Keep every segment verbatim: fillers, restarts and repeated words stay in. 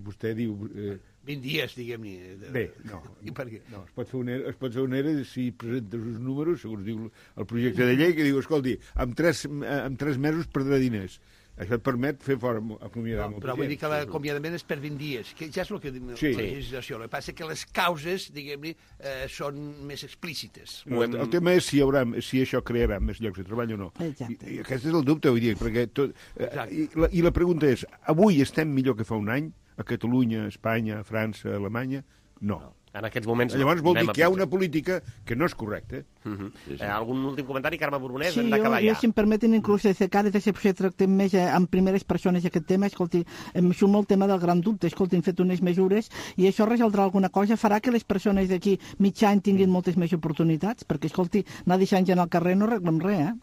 vostè diu... Eh... vint dies, diguem-ne. Bé, no. I per què? No, es pot fer un E R E, es pot fer un E R E si presentes uns números, segons diu el projecte de llei, que diu, escolti, en tres, en tres mesos perdrà diners. Això et permet fer fora acomiadar no, molta però vull gent. dir que l'acomiadament és per vint dies, que ja és el que diu sí. la legislació. El que passa que les causes, diguem-ne, eh, són més explícites. No, el, el tema és si, hi haurà, si això crearà més llocs de treball o no. Exacte. I, i aquest és el dubte, vull dir, perquè tot, eh, i, la, i la pregunta és, avui estem millor que fa un any? A Catalunya, Espanya, França, Alemanya? No. no. En aquests moments... Llavors vol dir que hi ha una política que no és correcta. Uh -huh. sí, sí. Eh, algun últim comentari, Carme Borbonès? Sí, hem d'acabar jo, ja. jo, si em permeten, inclús des de cada vegada potser tractem més eh, amb primeres persones aquest tema, escolti, em surt molt el tema del gran dubte, escolti, hem fet unes mesures i això resoldrà alguna cosa, farà que les persones d'aquí mig any tinguin moltes més oportunitats, perquè, escolti, anar deixant gent al carrer no arreglem res, eh?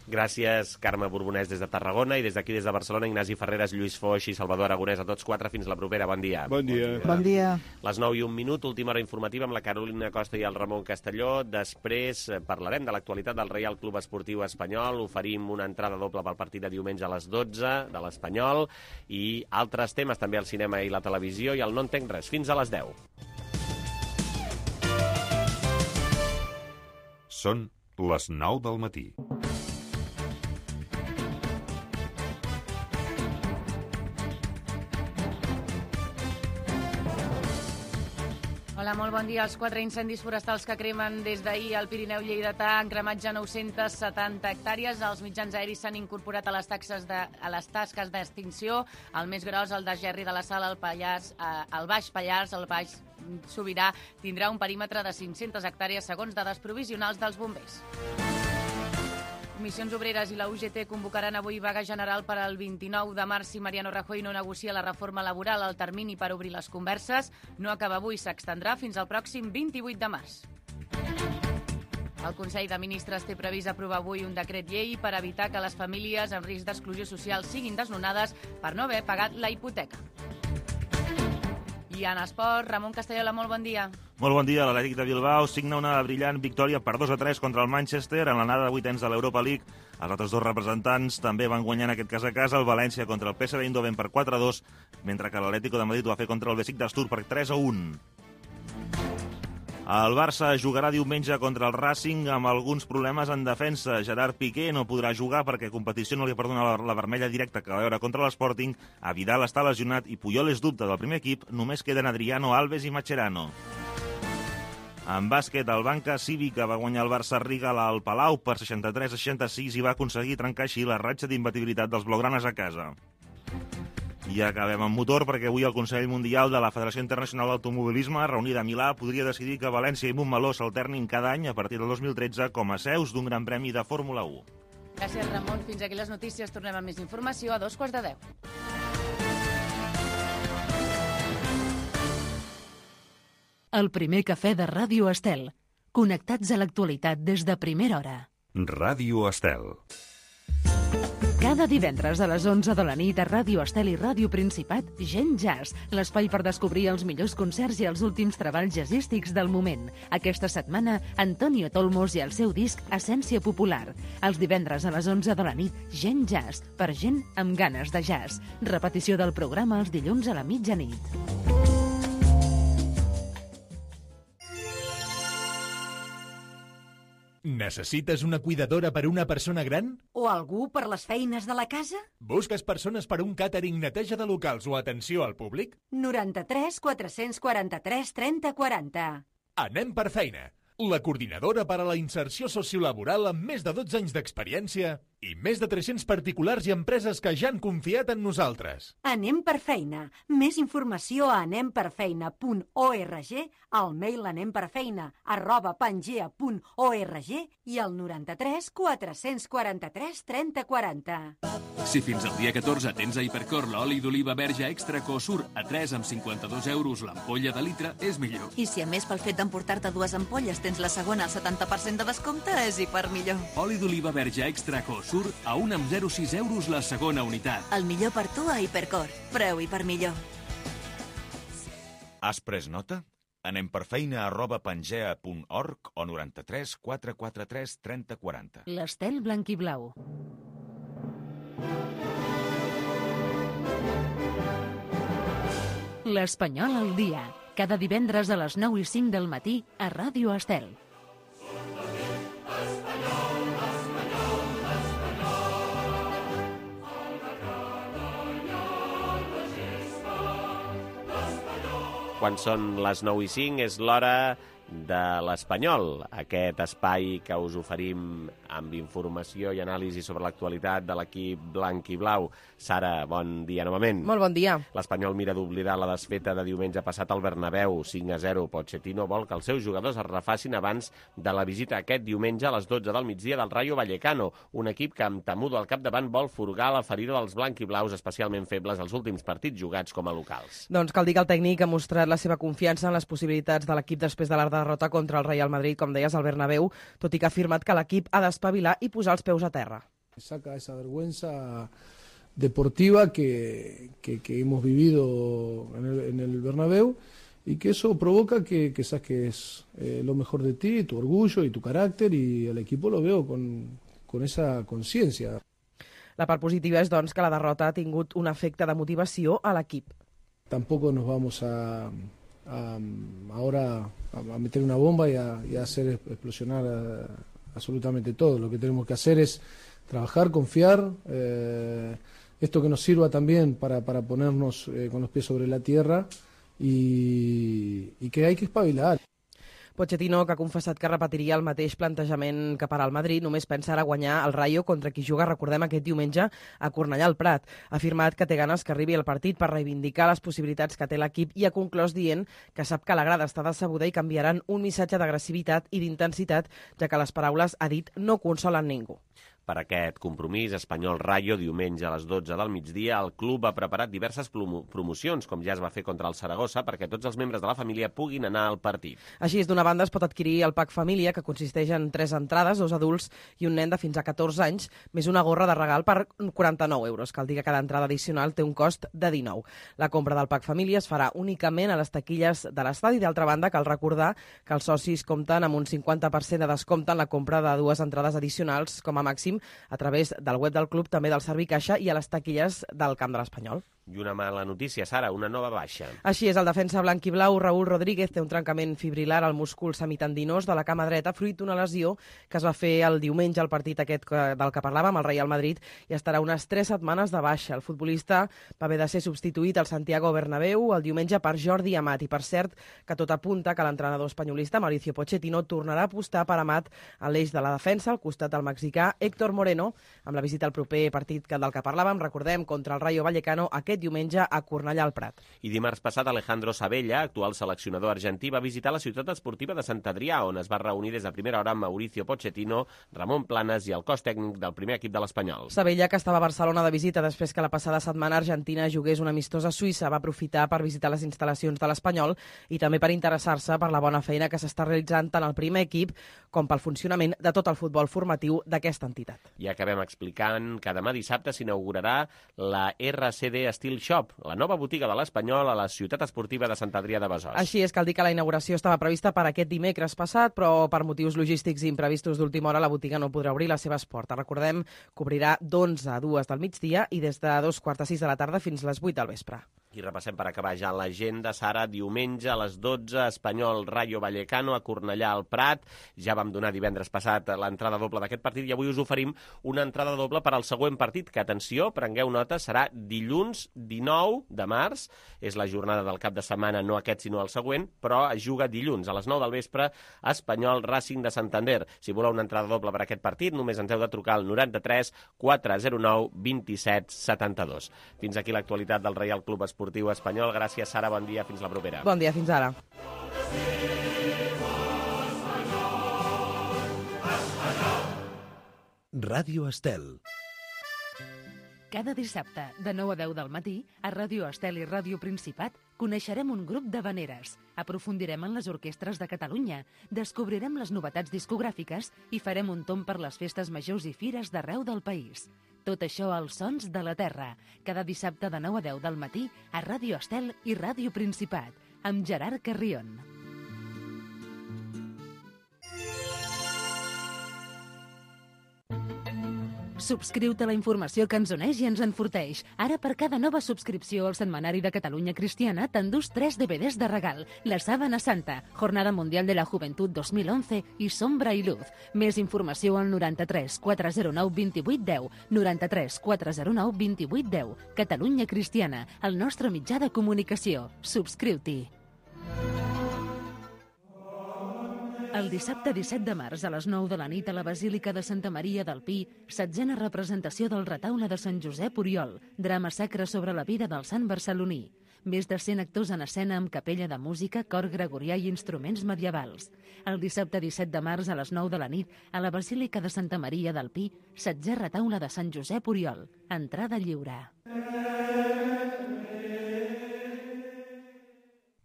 Gràcies, Carme Borbonès, des de Tarragona, i des d'aquí, des de Barcelona, Ignasi Ferreres, Lluís Foix i Salvador Aragonès, a tots quatre. Fins la propera. Bon dia. Bon dia. Bon dia. Les nou i un minut, última hora informativa amb la Carolina Costa i el Ramon Castelló. Després parlarem de l'actualitat del Reial Club Esportiu Espanyol. Oferim una entrada doble pel partit de diumenge a les dotze de l'Espanyol i altres temes, també al cinema i la televisió, i el No entenc res. Fins a les deu. Són les nou del matí. Hola, molt bon dia. Els quatre incendis forestals que cremen des d'ahir al Pirineu lleidatà han cremat ja nou-centes setanta hectàrees. Els mitjans aeris s'han incorporat a les, taxes de, a les tasques d'extinció. El més gros, el de Gerri de la Sal, el, Pallars, eh, el Baix Pallars, el Baix Sobirà, tindrà un perímetre de cinc-centes hectàrees segons dades provisionals dels bombers. Comissions Obreres i la U G T convocaran avui vaga general per al vint-i-nou de març si Mariano Rajoy no negocia la reforma laboral. El termini per obrir les converses no acaba avui, s'extendrà fins al pròxim vint-i-vuit de març. El Consell de Ministres té previst aprovar avui un decret llei per evitar que les famílies en risc d'exclusió social siguin desnonades per no haver pagat la hipoteca. I en esport, Ramon Castellola, molt bon dia. Molt bon dia. L'Atlètic de Bilbao signa una brillant victòria per dos a tres contra el Manchester en l'anada de vuitens de l'Europa League. Els altres dos representants també van guanyar en aquest cas a casa, el València contra el P S V Eindhoven per quatre a dos, mentre que l'Atlético de Madrid ho va fer contra el Besiktas Tour per tres a un. El Barça jugarà diumenge contra el Racing amb alguns problemes en defensa. Gerard Piqué no podrà jugar perquè competició no li perdona la, la vermella directa que va veure contra l'Sporting. A Vidal està lesionat i Puyol és dubte del primer equip. Només queden Adriano Alves i Mascherano. En bàsquet, el Banca Cívica va guanyar el Barça Riga al Palau per seixanta-tres a seixanta-sis i va aconseguir trencar així la ratxa d'imbatibilitat dels blaugranes a casa. I acabem amb motor perquè avui el Consell Mundial de la Federació Internacional d'Automobilisme, reunida a Milà, podria decidir que València i Montmeló s'alternin cada any a partir del dos mil tretze com a seus d'un gran premi de Fórmula u. Gràcies, Ramon. Fins aquí les notícies. Tornem amb més informació a dos quarts de deu. El primer cafè de Ràdio Estel. Connectats a l'actualitat des de primera hora. Ràdio Estel. Cada divendres a les onze de la nit a Ràdio Estel i Ràdio Principat, Gent Jazz, l'espai per descobrir els millors concerts i els últims treballs jazzístics del moment. Aquesta setmana, Antonio Tolmos i el seu disc Essència Popular. Els divendres a les onze de la nit, Gent Jazz, per gent amb ganes de jazz. Repetició del programa els dilluns a la mitjanit. Necessites una cuidadora per una persona gran? O algú per les feines de la casa? Busques persones per un càtering, neteja de locals o atenció al públic? noranta-tres quatre-cents quaranta-tres trenta quaranta. Anem per feina. La coordinadora per a la inserció sociolaboral amb més de dotze anys d'experiència i més de tres-cents particulars i empreses que ja han confiat en nosaltres. Anem per feina. Més informació a anem per feina punt org, al mail anemperfeina arroba pangea punt org i al noranta-tres quatre-cents quaranta-tres trenta quaranta. Si fins al dia catorze tens a Hipercor l'oli d'oliva verge extra Cosur a tres amb cinquanta-dos euros l'ampolla de litre, és millor. I si a més pel fet d'emportar-te dues ampolles tens la segona al setanta per cent de descompte, és hiper millor. Oli d'oliva verge extra Cosur a un amb zero coma sis euros la segona unitat. El millor per tu a Hipercor. Preu hiper millor. Has pres nota? Anem per feina arroba pangea punt org o noranta-tres quatre quaranta-tres trenta quaranta. L'Estel blanc i blau. L'Espanyol al dia. Cada divendres a les nou i cinc del matí a Ràdio Estel. Quan són les nou i cinc és l'hora de l'Espanyol, aquest espai que us oferim amb informació i anàlisi sobre l'actualitat de l'equip blanc i blau. Sara, bon dia novament. Molt bon dia. L'Espanyol mira d'oblidar la desfeta de diumenge passat al Bernabéu, cinc a zero. Pochettino vol que els seus jugadors es refacin abans de la visita aquest diumenge a les dotze del migdia del Rayo Vallecano, un equip que amb Temudo al capdavant vol furgar la ferida dels blanc i blaus, especialment febles als últims partits jugats com a locals. Doncs cal dir que el tècnic ha mostrat la seva confiança en les possibilitats de l'equip després de la derrota contra el Real Madrid, com deies, al Bernabéu, tot i que ha afirmat que l'equip ha d'espavilar i posar els peus a terra. Saca esa vergüenza deportiva que, que, que hemos vivido en el, en el Bernabéu y que eso provoca que, que saques eh, lo mejor de ti, tu orgullo y tu carácter, y el equipo lo veo con, con esa conciencia. La part positiva és, doncs, que la derrota ha tingut un efecte de motivació a l'equip. Tampoco nos vamos a... A, ahora a meter una bomba y a, y a hacer explosionar a, absolutamente todo. Lo que tenemos que hacer es trabajar, confiar, eh, esto que nos sirva también para, para ponernos eh, con los pies sobre la tierra, y, y que hay que espabilar. Pochettino, que ha confessat que repetiria el mateix plantejament que per al Madrid, només pensa ara guanyar el Rayo, contra qui juga, recordem, aquest diumenge a Cornellà al Prat. Ha afirmat que té ganes que arribi el partit per reivindicar les possibilitats que té l'equip i ha conclòs dient que sap que la grada està decebuda i canviaran un missatge d'agressivitat i d'intensitat, ja que les paraules, ha dit, no consolen ningú. Per aquest compromís, Espanyol-Rayo, diumenge a les dotze del migdia, el club ha preparat diverses promocions, com ja es va fer contra el Saragossa, perquè tots els membres de la família puguin anar al partit. Així és, d'una banda es pot adquirir el pack família, que consisteix en tres entrades, dos adults i un nen de fins a catorze anys, més una gorra de regal per quaranta-nou euros. Cal dir que cada entrada addicional té un cost de dinou. La compra del pack família es farà únicament a les taquilles de l'estadi. D'altra banda, cal recordar que els socis compten amb un cinquanta per cent de descompte en la compra de dues entrades addicionals, com a màxim, a través del web del club, també del Servicaixa i a les taquilles del camp de l'Espanyol. I una mala notícia, Sara, una nova baixa. Així és, el defensa blanc i blau, Raúl Rodríguez, té un trencament fibrilar al múscul semitendinós de la cama dreta, fruit d'una lesió que es va fer el diumenge al partit aquest del que parlàvem, el Real Madrid, i estarà unes tres setmanes de baixa. El futbolista va haver de ser substituït al Santiago Bernabéu el diumenge per Jordi Amat, i per cert que tot apunta que l'entrenador espanyolista Mauricio Pochettino tornarà a apostar per Amat a l'eix de la defensa, al costat del mexicà Héctor Moreno, amb la visita al proper partit del que parlàvem, recordem, contra el Rayo Vallecano aquest diumenge a Cornellà al Prat. I dimarts passat Alejandro Sabella, actual seleccionador argentí, va visitar la ciutat esportiva de Sant Adrià, on es va reunir des de primera hora amb Mauricio Pochettino, Ramon Planes i el cos tècnic del primer equip de l'Espanyol. Sabella, que estava a Barcelona de visita després que la passada setmana Argentina jugués una amistosa a Suïssa, va aprofitar per visitar les instal·lacions de l'Espanyol i també per interessar-se per la bona feina que s'està realitzant tant al primer equip com pel funcionament de tot el futbol formatiu d'aquesta entitat. I acabem explicant que demà dissabte s'inaugurarà la R C D Steel Shop, la nova botiga de l'Espanyol a la ciutat esportiva de Sant Adrià de Besòs. Així és, cal dir que la inauguració estava prevista per aquest dimecres passat, però per motius logístics i imprevistos d'última hora la botiga no podrà obrir les seves portes. Recordem que obrirà d'onze a dues del migdia i des de dos quarts de sis de la tarda fins a les vuit del vespre. I repassem per acabar ja l'agenda, Sara, diumenge a les dotze, Espanyol Rayo Vallecano a Cornellà al Prat. Ja vam donar divendres passat l'entrada doble d'aquest partit i avui us oferim una entrada doble per al següent partit, que, atenció, prengueu nota, serà dilluns dinou de març. És la jornada del cap de setmana, no aquest sinó el següent, però es juga dilluns a les nou del vespre, Espanyol Racing de Santander. Si voleu una entrada doble per aquest partit, només ens heu de trucar al noranta-tres quatre zero nou vint-i-set setanta-dos. Fins aquí l'actualitat del Reial Club Esportiu Espanyol. Gràcies, Sara, bon dia, fins la propera. Bon dia, fins ara. Ràdio Estel. Cada dissabte, de nou a deu del matí, a Ràdio Estel i Ràdio Principat, coneixerem un grup d'havaneres, aprofundirem en les orquestres de Catalunya, descobrirem les novetats discogràfiques i farem un tomb per les festes majors i fires d'arreu del país. Tot això als Sons de la Terra, cada dissabte de nou a deu del matí a Ràdio Estel i Ràdio Principat, amb Gerard Carrion. Subscriu-te a la informació que ens uneix i ens enforteix. Ara, per cada nova subscripció al Setmanari de Catalunya Cristiana, t'endús tres D V Ds de regal. La Sábana Santa, Jornada Mundial de la Juventud dos mil once i Sombra i Luz. Més informació al noranta-tres quatre zero nou vint vuit deu, noranta-tres quatre zero nou vint vuit deu. Catalunya Cristiana, el nostre mitjà de comunicació. Subscriu-t'hi. El dissabte disset de març a les nou de la nit a la Basílica de Santa Maria del Pi, setzena representació del retaule de Sant Josep Oriol, drama sacre sobre la vida del sant barceloní. Més de cent actors en escena amb capella de música, cor gregorià i instruments medievals. El dissabte disset de març a les nou de la nit a la Basílica de Santa Maria del Pi, setzè retaule de Sant Josep Oriol. Entrada lliure.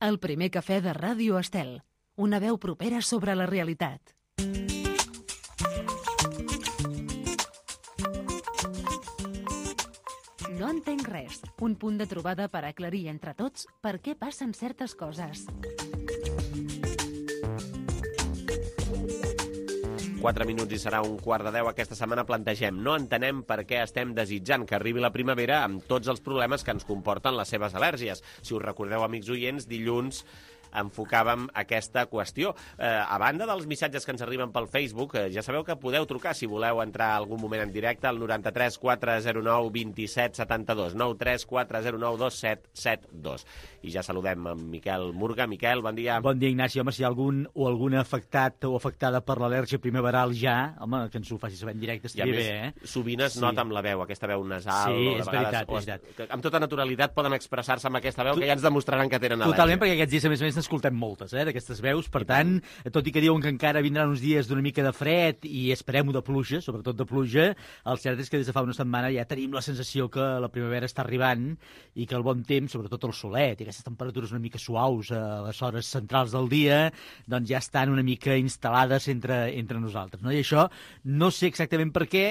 El primer cafè de Ràdio Estel. Una veu propera sobre la realitat. No entenc res. Un punt de trobada per aclarir entre tots per què passen certes coses. Quatre minuts i serà un quart de deu. Aquesta setmana plantegem. No entenem per què estem desitjant que arribi la primavera amb tots els problemes que ens comporten les seves al·lèrgies. Si us recordeu, amics oients, dilluns enfocàvem aquesta qüestió. Eh, a banda dels missatges que ens arriben pel Facebook, eh, ja sabeu que podeu trucar si voleu entrar algun moment en directe al noranta-tres quatre zero nou vint set setanta-dos, nou tres quatre zero nou dos set set dos. I ja saludem amb Miquel Murga. Miquel, bon dia. Bon dia, Ignasi. Home, si hi ha algun o alguna afectat o afectada per l'al·lèrgia primaveral ja, home, que ens ho faci saber en directe estaria bé, eh? Sovint es sí. nota amb la veu, aquesta veu nasal. Sí, o de és vegades, veritat, o és veritat. Amb tota naturalitat poden expressar-se amb aquesta veu, tu... que ja ens demostraran que tenen al·lèrgia. Totalment, perquè aquests dies, a més a més, n'escoltem moltes, eh, d'aquestes veus. Per tant, tot i que diuen que encara vindran uns dies d'una mica de fred i esperem-ho de pluja, sobretot de pluja, el cert és que des de fa una setmana ja tenim la sensació que la primavera està arribant i que el bon temps, sobretot el solet i aquestes temperatures una mica suaus a les hores centrals del dia, doncs ja estan una mica instal·lades entre, entre nosaltres, no? I això no sé exactament per què.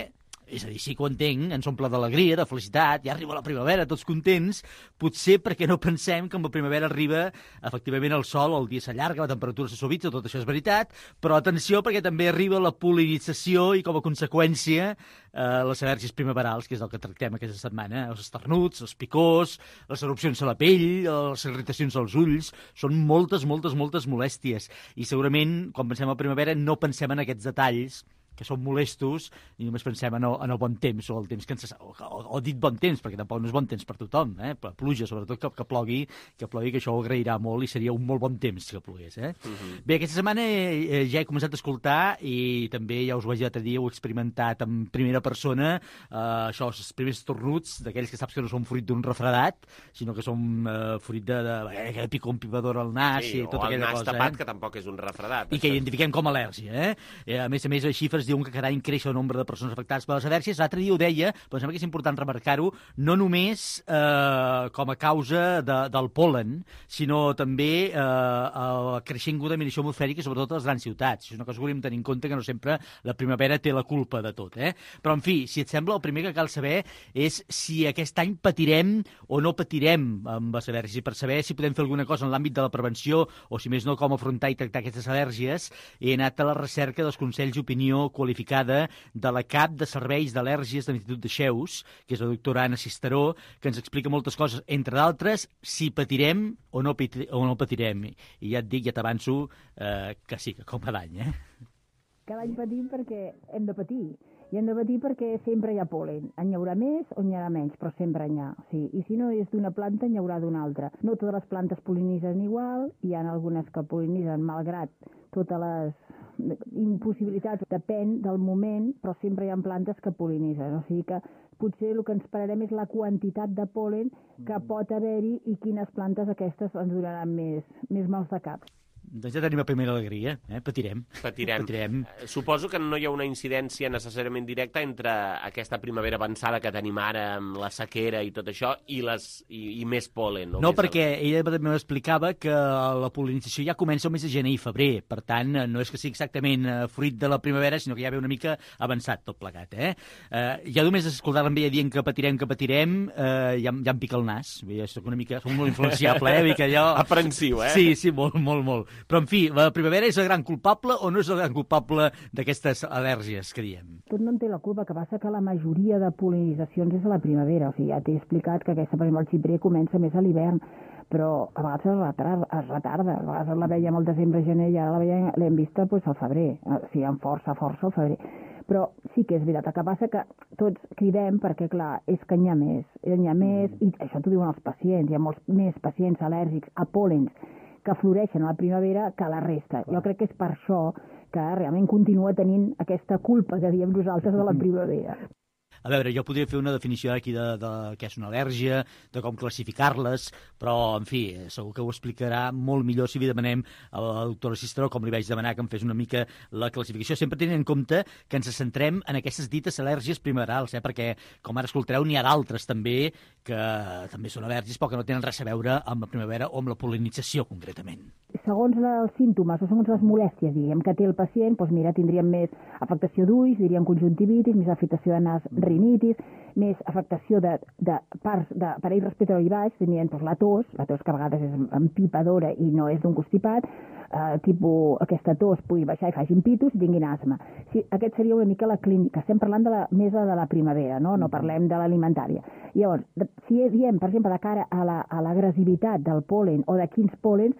És a dir, sí que ho entenc, ens omple d'alegria, de felicitat, ja arriba la primavera, tots contents, potser perquè no pensem que amb la primavera arriba, efectivament, el sol, el dia s'allarga, la temperatura se suavitza, tot això és veritat, però atenció perquè també arriba la pol·linització i, com a conseqüència, eh, les al·lèrgies primaverals, que és el que tractem aquesta setmana, els esternuts, els picors, les erupcions a la pell, les irritacions als ulls, són moltes, moltes, moltes molèsties. I segurament, quan pensem a primavera, no pensem en aquests detalls que són molestos, i només pensem en el, en el bon temps, o el temps que ens... O, o, o dit bon temps, perquè tampoc no és bon temps per tothom, eh? Però pluja, sobretot, que, que plogui, que plogui, que això ho agrairà molt, i seria un molt bon temps que plogués, eh? Uh-huh. Bé, aquesta setmana eh, ja he començat a escoltar, i també ja us ho vaig dir l'altre dia, ho he experimentat en primera persona, eh, això, els primers tornuts, d'aquells que saps que no són fruit d'un refredat, sinó que són eh, fruit de, de, de, de pico un pivador al nas, sí, i tota aquella cosa. O el nas tapat, eh? Que tampoc és un refredat. I això. Que identifiquem com a al·lèrgia, eh? A més a més, les xifres diuen que cada any creix el nombre de persones afectades per les al·lèrgies. L'altre dia ho deia, però em sembla que és important remarcar-ho, no només eh, com a causa de, del polen, sinó també eh, la creixent contaminació atmosfèrica, sobretot a les grans ciutats. És una cosa que hauríem de tenir en compte, que no sempre la primavera té la culpa de tot, eh? Però, en fi, si et sembla, el primer que cal saber és si aquest any patirem o no patirem amb les al·lèrgies, i per saber si podem fer alguna cosa en l'àmbit de la prevenció, o si més no, com afrontar i tractar aquestes al·lèrgies, he anat a la recerca dels consells d'opinió qualificada de la cap de serveis d'al·lèrgies de l'Institut de Xeus, que és la doctora Anna Cisteró, que ens explica moltes coses, entre d'altres, si patirem o no, o no patirem. I ja et dic, ja t'avanço, eh, que sí, que com cada any, eh? Cada any patim perquè hem de patir. I hem de patir perquè sempre hi ha pol·len. En hi haurà més o n'hi haurà menys, però sempre n'hi ha. Sí. I si no és d'una planta, n'hi haurà d'una altra. No totes les plantes pol·linitzen igual, hi ha algunes que pol·linitzen malgrat totes les impossibilitats, depèn del moment, però sempre hi ha plantes que pol·linitzen. O sigui que potser el que ens pararem és la quantitat de pol·len que pot haver-hi i quines plantes aquestes ens donaran més, més mals de cap. Doncs ja tenim la primera alegria, eh? Patirem. Patirem. Patirem. Suposo que no hi ha una incidència necessàriament directa entre aquesta primavera avançada que tenim ara amb la sequera i tot això i, les, i, i més pol·len. No, no perquè ella també m'explicava que la pol·linització ja comença el mes de gener i febrer, per tant, no és que sigui exactament fruit de la primavera, sinó que ja ve una mica avançat tot plegat, eh? eh ja només escoltar-la amb ella dient que patirem, que patirem, eh, ja, ja em pica el nas. Jo soc una mica, soc molt influenciable, eh? Que jo... Aprensiu, eh? Sí, sí, molt, molt, molt. Però, en fi, la primavera és el gran culpable o no és el gran culpable d'aquestes al·lèrgies que diem? Tot no en té la culpa, que passa que la majoria de pol·linitzacions és a la primavera. O sigui, ja t'he explicat que aquesta, per exemple, el xiprer comença més a l'hivern, però a vegades es retarda, es retarda. A vegades la veiem al desembre, gener, i ara la veiem, l'hem vista pues, al febrer, o sigui, amb força, força al febrer. Però sí que és veritat, el que passa que tots cridem perquè, clar, és que n'hi ha més, n'hi ha més, i això t'ho diuen els pacients, hi ha molts més pacients al·lèrgics a pòlens que floreixen a la primavera que a la resta. Jo crec que és per això que realment continua tenint aquesta culpa que diem nosaltres de la primavera. A veure, jo podria fer una definició aquí de, de què és una al·lèrgia, de com classificar-les, però, en fi, segur que ho explicarà molt millor si li demanem a la doctora Cisteró, com li vaig demanar que em fes una mica la classificació, sempre tenint en compte que ens centrem en aquestes dites al·lèrgies primaverals, eh? Perquè, com ara escoltareu, n'hi ha d'altres també que també són al·lèrgies, però que no tenen res a veure amb la primavera o amb la pol·linització, concretament. Segons els símptomes o segons les molèsties, diguem, que té el pacient, doncs mira, tindríem més afectació d'ulls, diríem conjuntivitis, més afectació de nas, rinitis, més afectació de, de parts d'aparell respiratori baix, tenien doncs, la tos, la tos que a vegades és empipadora i no és d'un constipat, eh, tipus aquesta tos pugui baixar i facin pitos i tinguin asma. Sí, aquest seria una mica la clínica. Estem parlant de la mesa de la primavera, no, no parlem de l'alimentària. Llavors, si diem, per exemple, de cara a la, a l'agressivitat del pol·len o de quins pòlens,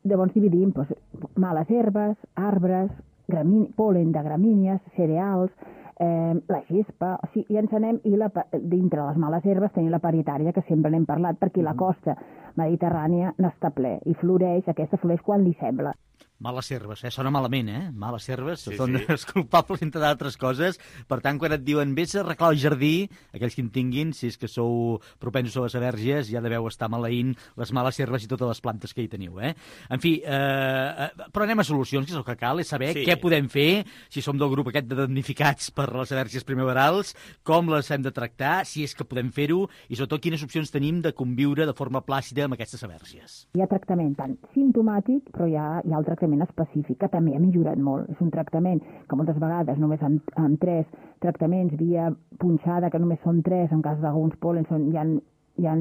llavors dividim doncs, males herbes, arbres, gramín, pol·len de gramínies, cereals, eh, la gespa, o sigui, i ens anem, i la, dintre les males herbes tenim la paritària, que sempre n'hem parlat, perquè la costa mediterrània n'està ple, i floreix, aquesta floreix quan li sembla. Males herbes, eh? Sona malament, eh? Males herbes, Sí, són sí. els culpables, entre d'altres coses. Per tant, quan et diuen vés a arreglar el jardí, aquells que en tinguin, si és que sou propensos a les al·lèrgies, ja deveu estar maleint les males herbes i totes les plantes que hi teniu, eh? En fi, eh, però anem a solucions, que és el que cal, és saber Sí. què podem fer, si som del grup aquest de damnificats per les al·lèrgies primaverals, com les hem de tractar, si és que podem fer-ho, i sobretot quines opcions tenim de conviure de forma plàcida amb aquestes al·lèrgies. Hi ha tractament tant simptomàtic, però hi ha, hi ha el tractament específic, que també ha millorat molt. És un tractament que moltes vegades només amb, amb tres tractaments via punxada, que només són tres, en cas d'alguns pòlens són, hi ha, hi ha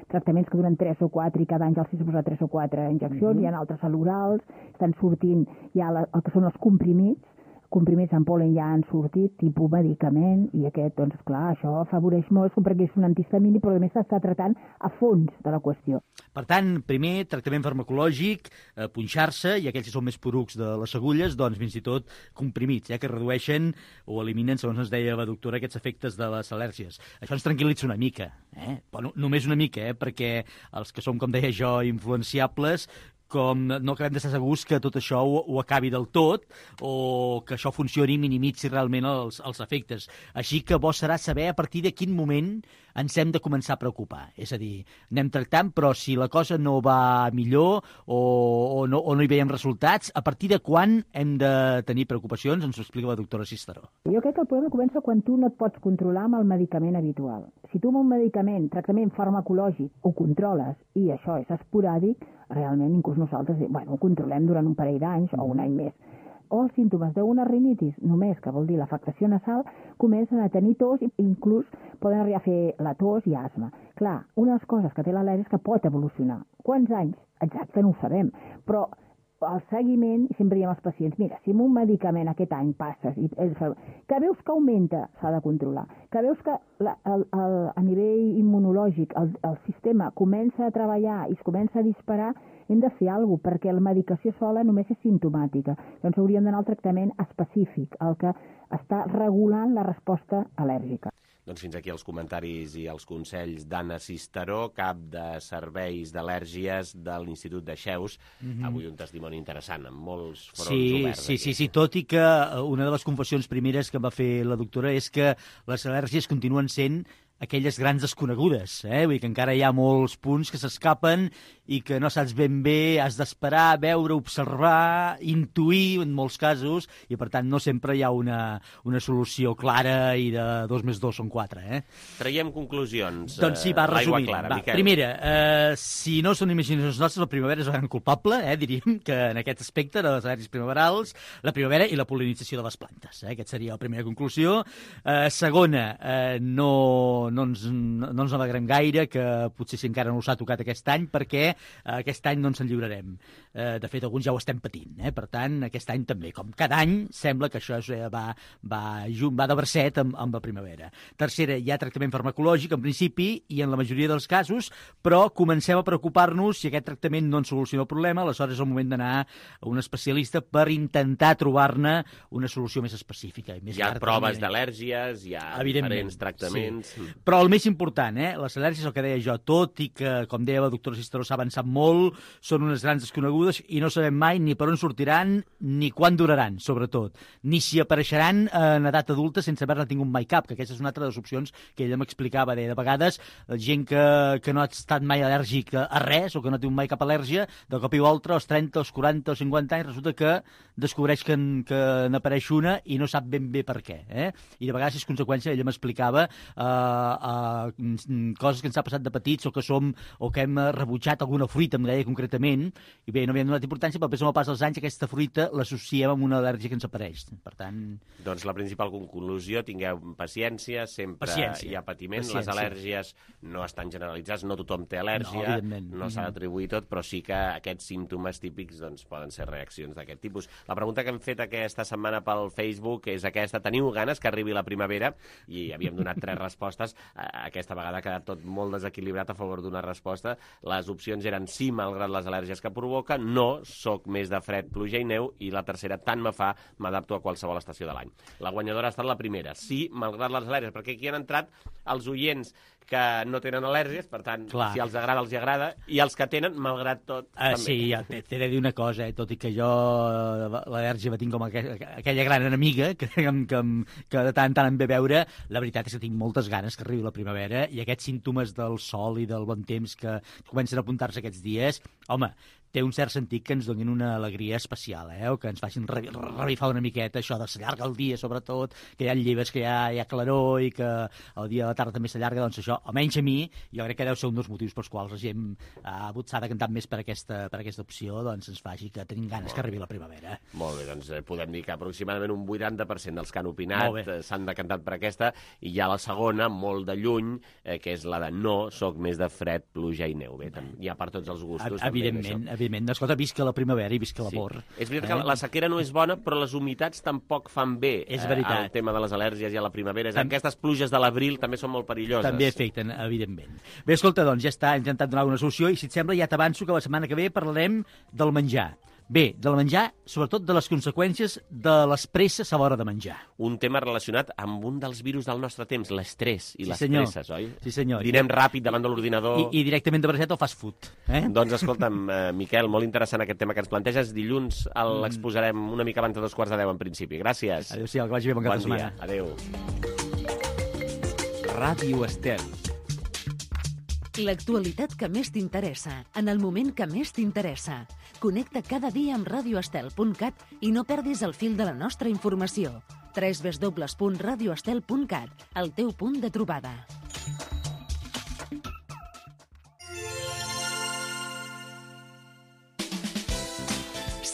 tractaments que duren tres o quatre i cada any ja els has posat tres o quatre injeccions, mm-hmm. Hi ha altres a l'orals, estan sortint, hi ha la, el que són els comprimits, comprimits en pol·len ja han sortit, tipus medicament, i aquest, doncs, clar, això afavoreix molt, perquè és un antihistamínic, però a més s'està tratant a fons de la qüestió. Per tant, primer, tractament farmacològic, eh, punxar-se, i aquells que són més porucs de les agulles, doncs, fins i tot comprimits, eh, que redueixen o eliminen, segons ens deia la doctora, aquests efectes de les al·lèrgies. Això ens tranquil·litza una mica, eh? Bueno, només una mica, eh? Perquè els que som, com deia jo, influenciables, com no acabem d'estar segurs que tot això ho, ho acabi del tot o que això funcioni i minimitzi realment els, els efectes. Així que bo serà saber a partir de quin moment ens hem de començar a preocupar. És a dir, anem tractant, però si la cosa no va millor o, o, no, o no hi veiem resultats, a partir de quan hem de tenir preocupacions? Ens ho explica la doctora Cisteró. Jo crec que el problema comença quan tu no et pots controlar amb el medicament habitual. Si tu amb un medicament, tractament farmacològic, ho controles i això és esporàdic, realment inclús nosaltres bueno, ho controlem durant un parell d'anys o un any més. O els símptomes d'una rinitis, només, que vol dir l'afectació nasal, comencen a tenir tos i inclús poden arribar a fer la tos i asma. Clar, una de les coses que té l'al·lèrgia és que pot evolucionar. Quants anys? Exacte, no ho sabem, però el seguiment, i sempre diem als pacients, mira, si amb un medicament aquest any passes, i, que veus que augmenta, s'ha de controlar, que veus que la, el, el, a nivell immunològic el, el sistema comença a treballar i es comença a disparar, hem de fer alguna cosa, perquè la medicació sola només és simptomàtica. Llavors hauríem d'anar al tractament específic, el que està regulant la resposta al·lèrgica. Doncs fins aquí els comentaris i els consells d'Anna Cisteró, cap de serveis d'al·lèrgies de l'Institut de Xeus. Mm-hmm. Avui un testimoni interessant, amb molts fronts sí, oberts. Sí, sí, sí, tot i que una de les confessions primeres que va fer la doctora és que les al·lèrgies continuen sent aquelles grans desconegudes, eh? Vull dir que encara hi ha molts punts que s'escapen i que no saps ben bé, has d'esperar, veure, observar, intuir en molts casos, i per tant no sempre hi ha una, una solució clara i de dos més dos són quatre, eh? Traiem conclusions. Doncs sí, va, resumint. Clara, va, primera, eh, si no són imaginacions nostres, la primavera és el gran culpable, eh, diríem, que en aquest aspecte de les al·lèrgies primaverals, la primavera i la pol·linització de les plantes. Eh? Aquesta seria la primera conclusió. Eh, segona, eh, no no, ens, no ens alegrem gaire, que potser si encara no s'ha tocat aquest any, perquè aquest any no ens en lliurarem. Eh, de fet, alguns ja ho estem patint, eh? Per tant, aquest any també. Com cada any, sembla que això va, va, va de bracet amb, amb la primavera. Tercera, hi ha tractament farmacològic, en principi, i en la majoria dels casos, però comencem a preocupar-nos si aquest tractament no ens soluciona el problema, aleshores és el moment d'anar a un especialista per intentar trobar-ne una solució més específica. I més hi ha llarg, proves també. d'al·lèrgies, hi ha diferents tractaments... Sí. Però el més important, eh? Les al·lèrgies, el que deia jo, tot i que, com deia la doctora Cisteró, s'ha avançat molt, són unes grans desconegudes i no sabem mai ni per on sortiran ni quan duraran, sobretot. Ni si apareixeran en edat adulta sense haver-ne tingut mai cap, que aquesta és una altra de les opcions que ella m'explicava. De vegades, gent que, que no ha estat mai al·lèrgic a res o que no té mai cap al·lèrgia, de cop i volta, als trenta, als quaranta o cinquanta anys, resulta que descobreix que, que n'apareix una i no sap ben bé per què. Eh? I de vegades és conseqüència, ella m'explicava, eh, eh, coses que ens ha passat de petits o que som o que hem rebutjat alguna fruita, em deia concretament, i bé, no havia donat importància, però després amb el pas dels anys aquesta fruita l'associem amb una al·lèrgia que ens apareix. Per tant... Doncs la principal conclusió, tingueu paciència, sempre paciència. Hi ha patiment, paciència. Les al·lèrgies no estan generalitzades, no tothom té al·lèrgia, no, no s'ha d'atribuir tot, però sí que aquests símptomes típics doncs, poden ser reaccions d'aquest tipus. La pregunta que hem fet aquesta setmana pel Facebook és aquesta: teniu ganes que arribi la primavera? I havíem donat tres respostes. Aquesta vegada ha quedat tot molt desequilibrat a favor d'una resposta. Les opcions eren sí, malgrat les al·lèrgies que provoca, no, soc més de fred, pluja i neu, i la tercera, tant me fa, m'adapto a qualsevol estació de l'any. La guanyadora ha estat la primera, sí, malgrat les al·lèrgies, perquè aquí han entrat els oients que no tenen al·lèrgies, per tant, clar, si els agrada, els hi agrada, i els que tenen, malgrat tot, uh, també. Sí, ja t'he de dir una cosa, eh? Tot i que jo l'al·lèrgia la tinc com aquella, aquella gran enemiga que, que, que de tant en tant em ve veure, la veritat és que tinc moltes ganes que arribi la primavera, i aquests símptomes del sol i del bon temps que comencen a apuntar-se aquests dies, home, té un cert sentit que ens donin una alegria especial, eh? O que ens facin revifar una miqueta això de s'allarga el dia, sobretot, que hi ha lleves, que hi ha, hi ha claror i que el dia de la tarda també s'allarga, doncs això, almenys a mi, jo crec que deu ser un dels motius pels quals la gent ha s'ha decantat més per aquesta, per aquesta opció, doncs ens faci que tenim ganes que arribi la primavera. Molt bé, doncs eh, podem dir que aproximadament un vuitanta per cent dels que han opinat eh, s'han decantat per aquesta, i hi ha la segona, molt de lluny, eh, que és la de no, soc més de fred, pluja i neu. Bé, hi ha per tots els gustos. A evidentment, també, evidentment. Escolta, visca la primavera i visca l'amor. Sí. És veritat eh? que la sequera no és bona, però les humitats tampoc fan bé. És veritat. Eh, el tema de les al·lèrgies i a la primavera. Tam... Aquestes pluges de l'abril també són molt perilloses. També afecten, evidentment. Bé, escolta, doncs ja està, hem intentat donar una solució, i si et sembla ja t'avanço que la setmana que ve parlarem del menjar. Bé, del menjar, sobretot de les conseqüències de les presses a l'hora de menjar. Un tema relacionat amb un dels virus del nostre temps, l'estrès i sí, les senyor. presses, oi? Sí, senyor. Dinem ràpid davant de l'ordinador... I, I directament de bracet o fast food. Eh? Doncs escolta'm, eh, Miquel, molt interessant aquest tema que ens planteges. Dilluns l'exposarem una mica abans de dos quarts de deu, en principi. Gràcies. Adéu-siau, que vagi bé, bon cap de setmana. Adéu. Ràdio Estel. L'actualitat que més t'interessa, en el moment que més t'interessa. Connecta cada dia amb radio estel punt cat i no perdis el fil de la nostra informació. w w w punt radio estel punt cat, el teu punt de trobada.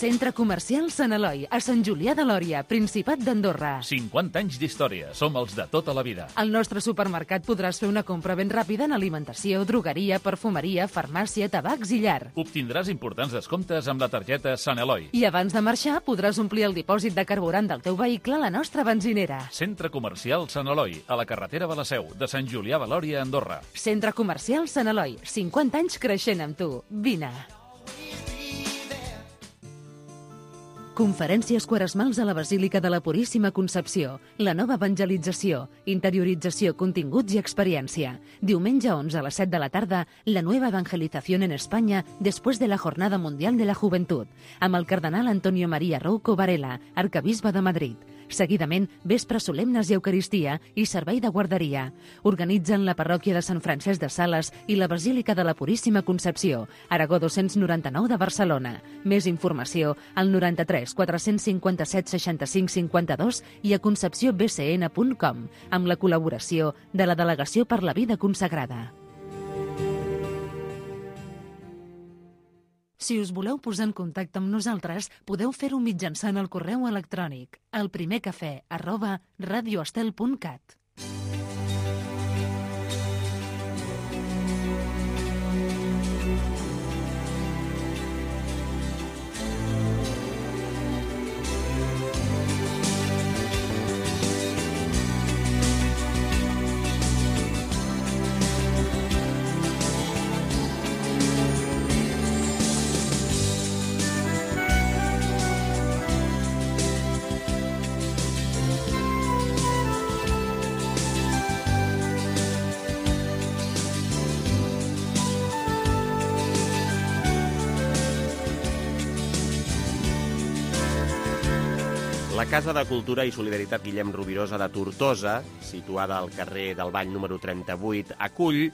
Centre Comercial Sant Eloi, a Sant Julià de Lòria, Principat d'Andorra. cinquanta anys d'història. Som els de tota la vida. Al nostre supermercat podràs fer una compra ben ràpida en alimentació, drogueria, perfumeria, farmàcia, tabacs i llar. Obtindràs importants descomptes amb la targeta Sant Eloi. I abans de marxar podràs omplir el dipòsit de carburant del teu vehicle a la nostra benzinera. Centre Comercial Sant Eloi, a la carretera de la Seu, de Sant Julià de Lòria, Andorra. Centre Comercial Sant Eloi, cinquanta anys creixent amb tu. Vine. Conferències quaresmals a la Basílica de la Puríssima Concepció. La nova evangelització, interiorització, continguts i experiència. Diumenge onze a les set de la tarda, la nueva evangelización en España después de la Jornada Mundial de la Juventud, amb el cardenal Antonio María Rouco Varela, arcabisbe de Madrid. Seguidament, vespres solemnes i eucaristia i servei de guarderia. Organitzen la parròquia de Sant Francesc de Sales i la Basílica de la Puríssima Concepció, Aragó dos-cents noranta-nou de Barcelona. Més informació al noranta-tres quatre-cents cinquanta-set seixanta-cinc cinquanta-dos i a concepció b c n punt com, amb la col·laboració de la Delegació per la Vida Consagrada. Si us voleu posar en contacte amb nosaltres, podeu fer-ho mitjançant el correu electrònic elprimercafè arroba radioestel punt cat. La Casa de Cultura i Solidaritat Guillem Rovirosa de Tortosa, situada al carrer del Bany número trenta-vuit, acull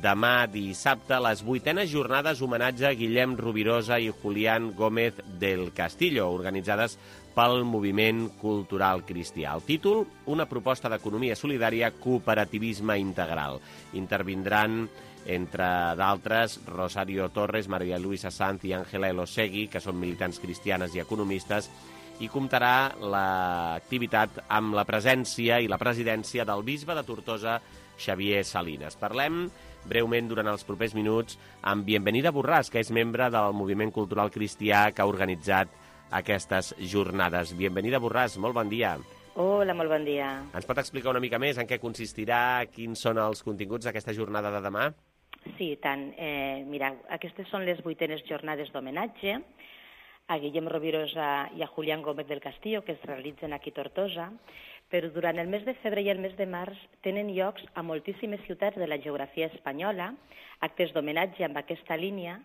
demà dissabte les vuitenes jornades homenatge a Guillem Rovirosa i Julián Gómez del Castillo, organitzades pel Moviment Cultural Cristià. El títol, una proposta d'economia solidària, cooperativisme integral. Intervindran, entre d'altres, Rosario Torres, María Luisa Sanz i Ángela Elosegui, que són militants cristianes i economistes, i comptarà l'activitat amb la presència i la presidència del bisbe de Tortosa, Xavier Salinas. Parlem breument durant els propers minuts amb Bienvenida Borràs, que és membre del Moviment Cultural Cristià que ha organitzat aquestes jornades. Bienvenida Borràs, molt bon dia. Hola, molt bon dia. Ens pot explicar una mica més en què consistirà, quins són els continguts d'aquesta jornada de demà? Sí, i tant. Eh, mira, aquestes són les vuitenes jornades d'homenatge a Guillem Rovirosa i a Julián Gómez del Castillo, que es realitzen aquí a Tortosa, però durant el mes de febrer i el mes de març tenen llocs a moltíssimes ciutats de la geografia espanyola, actes d'homenatge amb aquesta línia,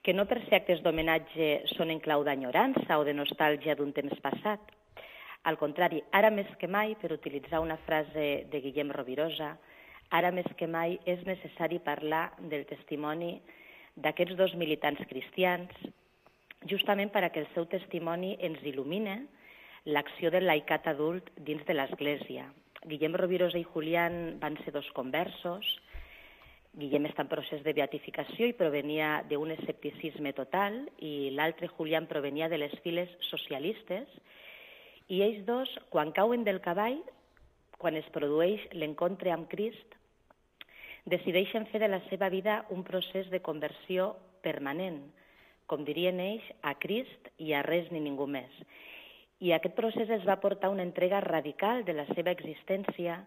que no per ser actes d'homenatge són en clau d'enyorança o de nostàlgia d'un temps passat. Al contrari, ara més que mai, per utilitzar una frase de Guillem Rovirosa, ara més que mai és necessari parlar del testimoni d'aquests dos militants cristians, justament perquè el seu testimoni ens il·lumina l'acció del laicat adult dins de l'Església. Guillem Rovirosa i Julián van ser dos conversos. Guillem està en procés de beatificació i provenia d'un escepticisme total, i l'altre, Julián, provenia de les files socialistes. I ells dos, quan cauen del cavall, quan es produeix l'encontre amb Crist, decideixen fer de la seva vida un procés de conversió permanent, com dirien ells, a Crist i a res ni ningú més. I aquest procés es va portar una entrega radical de la seva existència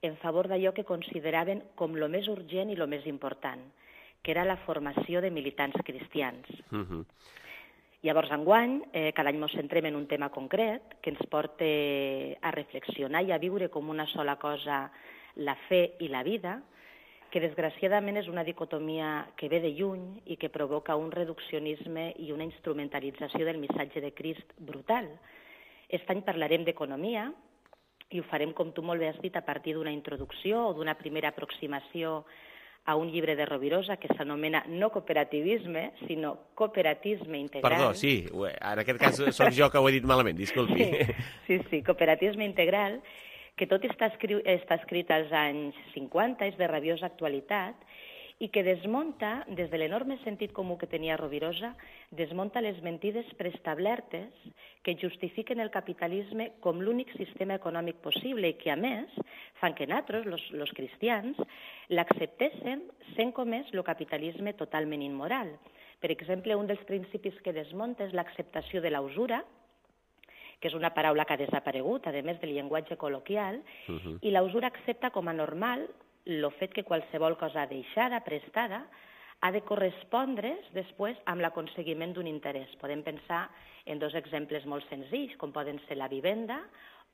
en favor d'allò que consideraven com lo més urgent i lo més important, que era la formació de militants cristians. Uh-huh. Llavors, enguany, eh, cada any ens centrem en un tema concret que ens porta a reflexionar i a viure com una sola cosa la fe i la vida, que desgraciadament és una dicotomia que ve de lluny i que provoca un reduccionisme i una instrumentalització del missatge de Crist brutal. Aquest any parlarem d'economia i ho farem, com tu molt bé has dit, a partir d'una introducció o d'una primera aproximació a un llibre de Rovirosa que s'anomena no cooperativisme, sinó cooperatisme integral. Perdó, sí, en aquest cas soc jo que ho he dit malament, disculpi. Sí, sí, sí, cooperatisme integral, que tot està, escrit, està escrit als anys cinquanta, és de rabiosa actualitat, i que desmunta, des de l'enorme sentit comú que tenia Rovirosa, desmunta les mentides preestablertes que justifiquen el capitalisme com l'únic sistema econòmic possible i que, a més, fan que nosaltres, los, los cristians, l'acceptéssim sent com és el capitalisme totalment immoral. Per exemple, un dels principis que desmunta és l'acceptació de la usura, que és una paraula que ha desaparegut, a més del llenguatge col·loquial, uh-huh. i la usura accepta com a normal el fet que qualsevol cosa deixada, prestada, ha de correspondre's després amb l'aconseguiment d'un interès. Podem pensar en dos exemples molt senzills, com poden ser la vivenda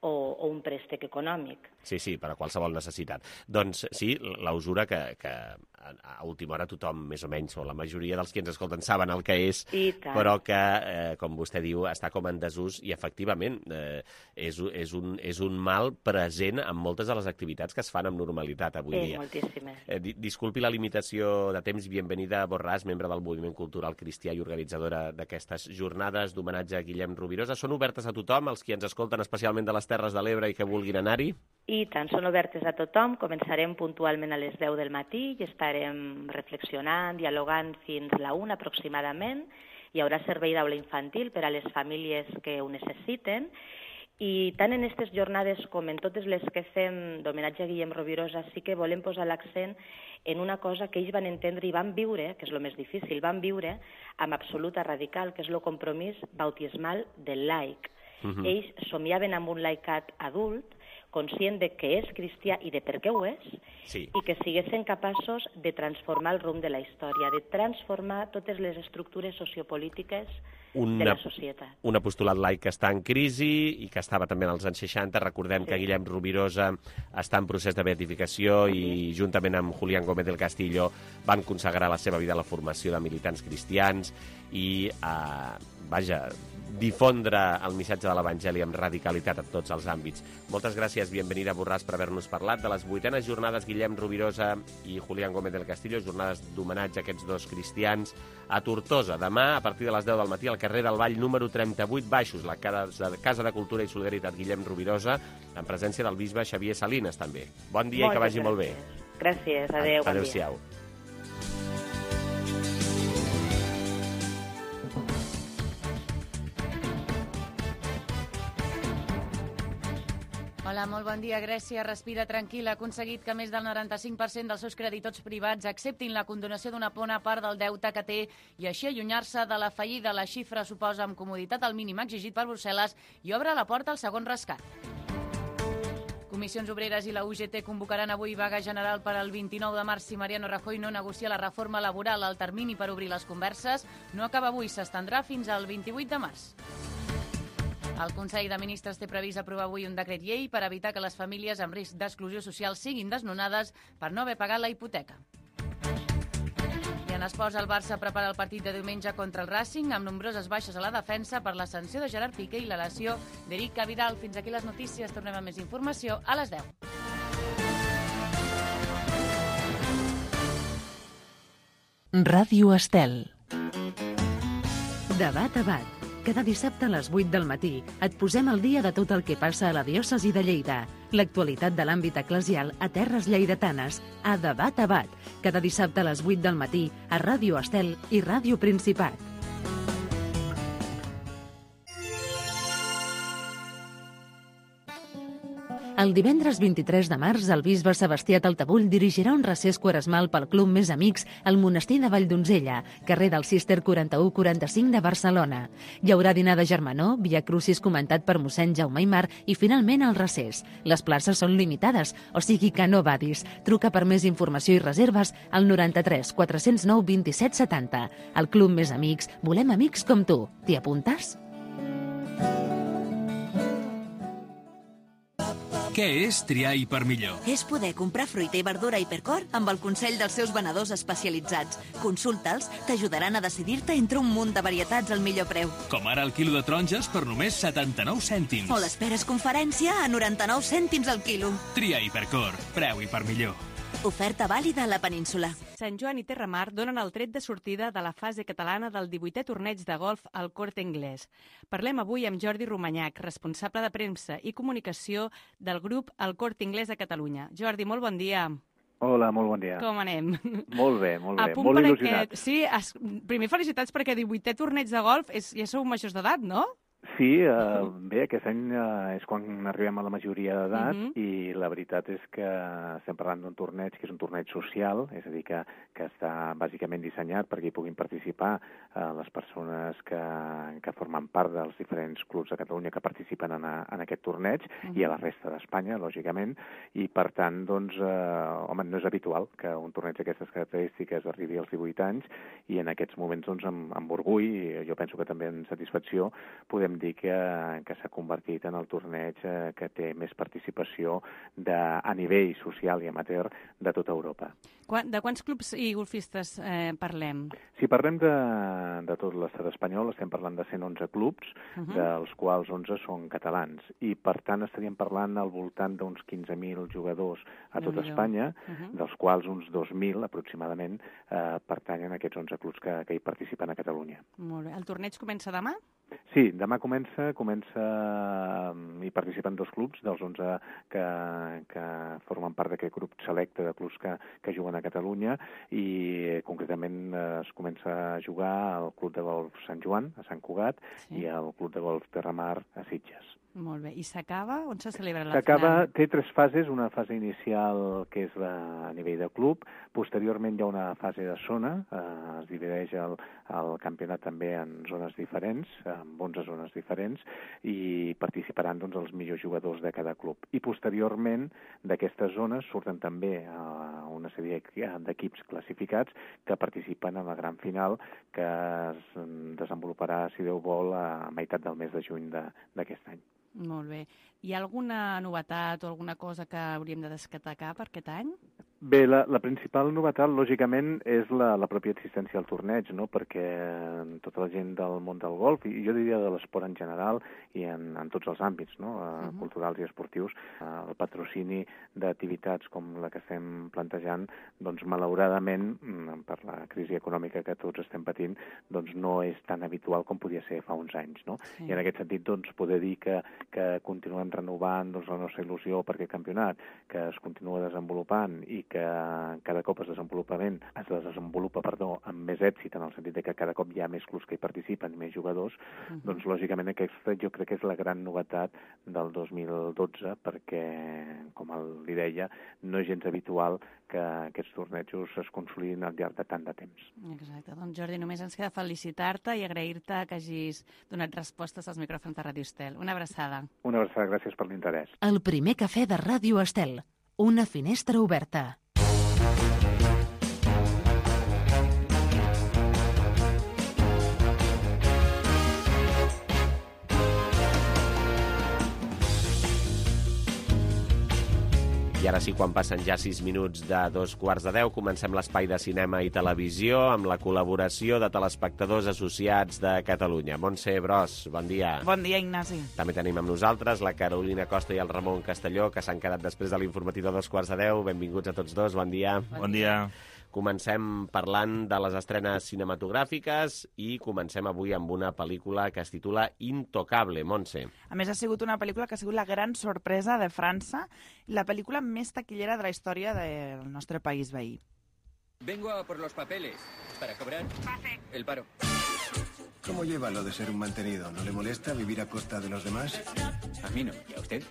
o, o un préstec econòmic. Sí, sí, per a qualsevol necessitat. Doncs sí, la usura que, que a última hora tothom, més o menys, o la majoria dels que ens escolten saben el que és, però que, eh, com vostè diu, està com en desús i, efectivament, eh, és, és, un, és un mal present en moltes de les activitats que es fan amb normalitat avui eh, dia. Moltíssimes. Eh, disculpi la limitació de temps. Bienvenida Borràs, membre del Moviment Cultural Cristià i organitzadora d'aquestes jornades d'homenatge a Guillem Rovirosa. Són obertes a tothom, els qui ens escolten especialment de les Terres de l'Ebre i que vulguin anar-hi? I tant, són obertes a tothom. Començarem puntualment a les deu del matí i estarem reflexionant, dialogant fins a la una aproximadament. Hi haurà servei d'aula infantil per a les famílies que ho necessiten. I tant en aquestes jornades com en totes les que fem d'homenatge a Guillem Rovirosa sí que volem posar l'accent en una cosa que ells van entendre i van viure, que és el més difícil, van viure amb absoluta radical, que és el compromís bautismal del laic. Uh-huh. Ells somiaven amb un laicat adult, conscient de que és cristià i de per què ho és, sí. i que siguessin capaços de transformar el rumb de la història, de transformar totes les estructures sociopolítiques una, de la societat. Un apostolat laic que està en crisi i que estava també en els anys seixanta. Recordem sí. que Guillem Rovirosa està en procés de beatificació sí. i juntament amb Julián Gómez del Castillo van consagrar la seva vida a la formació de militants cristians i, eh, vaja, difondre el missatge de l'Evangeli amb radicalitat en tots els àmbits. Moltes gràcies, Bienvenida Borràs, per haver-nos parlat de les vuitenes jornades Guillem Rovirosa i Julián Gómez del Castillo, jornades d'homenatge a aquests dos cristians a Tortosa. Demà, a partir de les deu del matí, al carrer del Vall número trenta-vuit Baixos, la Casa de Cultura i Solidaritat Guillem Rovirosa, en presència del bisbe Xavier Salines, també. Bon dia i que vagi molt bé. Gràcies, adéu, bon dia. Adéu-siau. Hola, molt bon dia. Grècia respira tranquil·la. Ha aconseguit que més del noranta-cinc per cent dels seus creditors privats acceptin la condonació d'una bona part del deute que té i així allunyar-se de la fallida. La xifra suposa amb comoditat el mínim exigit per Brussel·les i obre la porta al segon rescat. Comissions Obreres i la U G T convocaran avui vaga general per al vint-i-nou de març si Mariano Rajoy no negocia la reforma laboral. El termini per obrir les converses no acaba avui, s'estendrà fins al vint-i-vuit de març. El Consell de Ministres té previst aprovar avui un decret llei per evitar que les famílies amb risc d'exclusió social siguin desnonades per no haver pagat la hipoteca. I en esports, el Barça prepara el partit de diumenge contra el Racing amb nombroses baixes a la defensa per la sanció de Gerard Piqué i la lesió d'Eric Abidal. Fins aquí les notícies. Tornem amb més informació a les deu. Ràdio Estel. Debat a bat. Cada dissabte a les vuit del matí et posem al dia de tot el que passa a la diòcesi de Lleida. L'actualitat de l'àmbit eclesial a terres lleidatanes, a Debat a Bat. Cada dissabte a les vuit del matí a Ràdio Estel i Ràdio Principat. El divendres vint-i-tres de març, el bisbe Sebastià Taltabull dirigirà un recés quaresmal pel Club Més Amics al monestir de Valldonzella, carrer del Cister quaranta-u quaranta-cinc de Barcelona. Hi haurà dinar de germanor, via crucis comentat per mossèn Jaume Aymar i finalment el recés. Les places són limitades, o sigui que no badis. Truca per més informació i reserves al noranta-tres quatre zero nou vint-i-set setanta. Al Club Més Amics volem amics com tu. T'hi apuntes? Què és triar Hipermillor? És poder comprar fruita i verdura a Hipercor amb el consell dels seus venedors especialitzats. Consulta'ls, t'ajudaran a decidir-te entre un munt de varietats al millor preu. Com ara el quilo de taronges per només setanta-nou cèntims. O l'esperes conferència a noranta-nou cèntims al quilo. Tria Hipercor, preu Hipermillor. Oferta vàlida a la península. Sant Joan i Terramar donen el tret de sortida de la fase catalana del divuitè torneig de golf al Corte Inglés. Parlem avui amb Jordi Romanyac, responsable de premsa i comunicació del grup El Corte Inglés a Catalunya. Jordi, molt bon dia. Hola, molt bon dia. Com anem? Molt bé, molt bé. Molt il·lusionat. Aquest... Sí, es... primer felicitats perquè divuitè torneig de golf és... ja sou majors d'edat, no? Sí, eh, bé, aquest any eh, és quan arribem a la majoria d'edat uh -huh. i la veritat és que estem parlant d'un torneig que és un torneig social, és a dir, que, que està bàsicament dissenyat perquè hi puguin participar eh, les persones que, que formen part dels diferents clubs de Catalunya que participen en, a, en aquest torneig uh -huh. i a la resta d'Espanya, lògicament, i per tant, doncs, eh, home, no és habitual que un torneig d'aquestes característiques arribi als divuit anys i en aquests moments, doncs, amb, amb orgull, i jo penso que també en satisfacció, podem dir que, que s'ha convertit en el torneig eh, que té més participació de, a nivell social i amateur de tota Europa. Quan, de quants clubs i golfistes eh, parlem? Si parlem de, de tot l'estat espanyol, estem parlant de cent onze clubs, uh -huh. dels quals onze són catalans, i per tant estaríem parlant al voltant d'uns quinze mil jugadors a tot Espanya, uh -huh. dels quals uns dos mil aproximadament eh, pertanyen a aquests onze clubs que, que hi participen a Catalunya. Molt bé. El torneig comença demà? Sí, demà comença, comença hi participen dos clubs, dels onze que, que formen part d'aquest grup selecte de clubs que, que juguen a Catalunya, i concretament es comença a jugar al Club de Golf Sant Joan, a Sant Cugat, sí. i al Club de Golf Terramar, a Sitges. Molt bé. I s'acaba? On se celebra la S'acaba, final? té tres fases, una fase inicial que és la, a nivell de club, posteriorment hi ha una fase de zona, eh, es divideix el, el campionat també en zones diferents, en onze zones diferents, i participaran doncs, els millors jugadors de cada club. I posteriorment d'aquestes zones surten també eh, una sèrie d'equips classificats que participen en la gran final que es desenvoluparà, si Déu vol, a meitat del mes de juny d'aquest any. Molt bé. Hi ha alguna novetat o alguna cosa que hauríem de destacar per aquest any? Bé, la, la principal novetat, lògicament, és la, la pròpia existència del torneig, no? Perquè tota la gent del món del golf, i jo diria de l'esport en general, i en, en tots els àmbits, no? Uh, uh-huh. culturals i esportius, uh, el patrocini d'activitats com la que estem plantejant, doncs, malauradament, per la crisi econòmica que tots estem patint, doncs no és tan habitual com podia ser fa uns anys, no? Sí. I en aquest sentit, doncs, poder dir que, que continuem renovant doncs, la nostra il·lusió per aquest campionat, que es continua desenvolupant i que cada cop es desenvolupament es desenvolupa, perdó, amb més èxit, en el sentit de que cada cop hi ha més clubs que hi participen, més jugadors, uh-huh. doncs lògicament aquesta jo crec que és la gran novetat del dos mil dotze, perquè, com li deia, no és gens habitual que aquests tornejos es consolidin al llarg de tant de temps. Exacte. Doncs Jordi, només ens queda felicitar-te i agrair-te que hagis donat respostes als micròfons de Ràdio Estel. Una abraçada. Una abraçada, gràcies per l'interès. El primer cafè de Ràdio Estel. Una finestra oberta. I ara sí, quan passen ja sis minuts de dos quarts de deu, comencem l'espai de cinema i televisió amb la col·laboració de telespectadors associats de Catalunya. Montse Bros, bon dia. Bon dia, Ignasi. També tenim amb nosaltres la Carolina Costa i el Ramon Castelló, que s'han quedat després de l'informatiu de dos quarts de deu. Benvinguts a tots dos, bon dia. Bon dia. Comencem parlant de les estrenes cinematogràfiques i comencem avui amb una pel·lícula que es titula Intocable, Montse. A més, ha sigut una pel·lícula que ha sigut la gran sorpresa de França, la pel·lícula més taquillera de la història del nostre país veí. Vengo a por los papeles para cobrar el paro. ¿Cómo lleva lo de ser un mantenido? ¿No le molesta vivir a costa de los demás? A mí no. ¿Y a usted?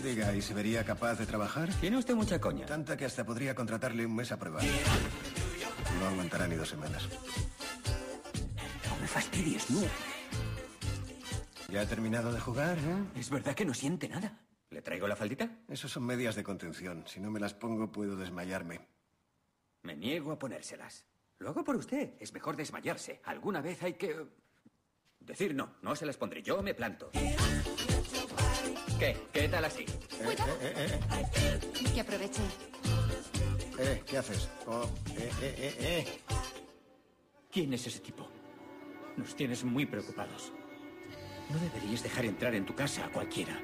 Diga, ¿y se vería capaz de trabajar? Tiene usted mucha coña. Tanta que hasta podría contratarle un mes a prueba. No aguantará ni dos semanas. No me fastidies, no. ¿Ya ha terminado de jugar, eh? Es verdad que no siente nada. ¿Le traigo la faldita? Eso son medias de contención. Si no me las pongo, puedo desmayarme. Me niego a ponérselas. Lo hago por usted. Es mejor desmayarse. Alguna vez hay que... decir no. No se las pondré. Yo me planto. ¿Qué? ¿Qué tal así? Eh, eh, eh, eh. Que aproveche. Eh, ¿qué haces? Oh, eh, eh, eh, eh. ¿Quién es ese tipo? Nos tienes muy preocupados. No deberías dejar entrar en tu casa a cualquiera.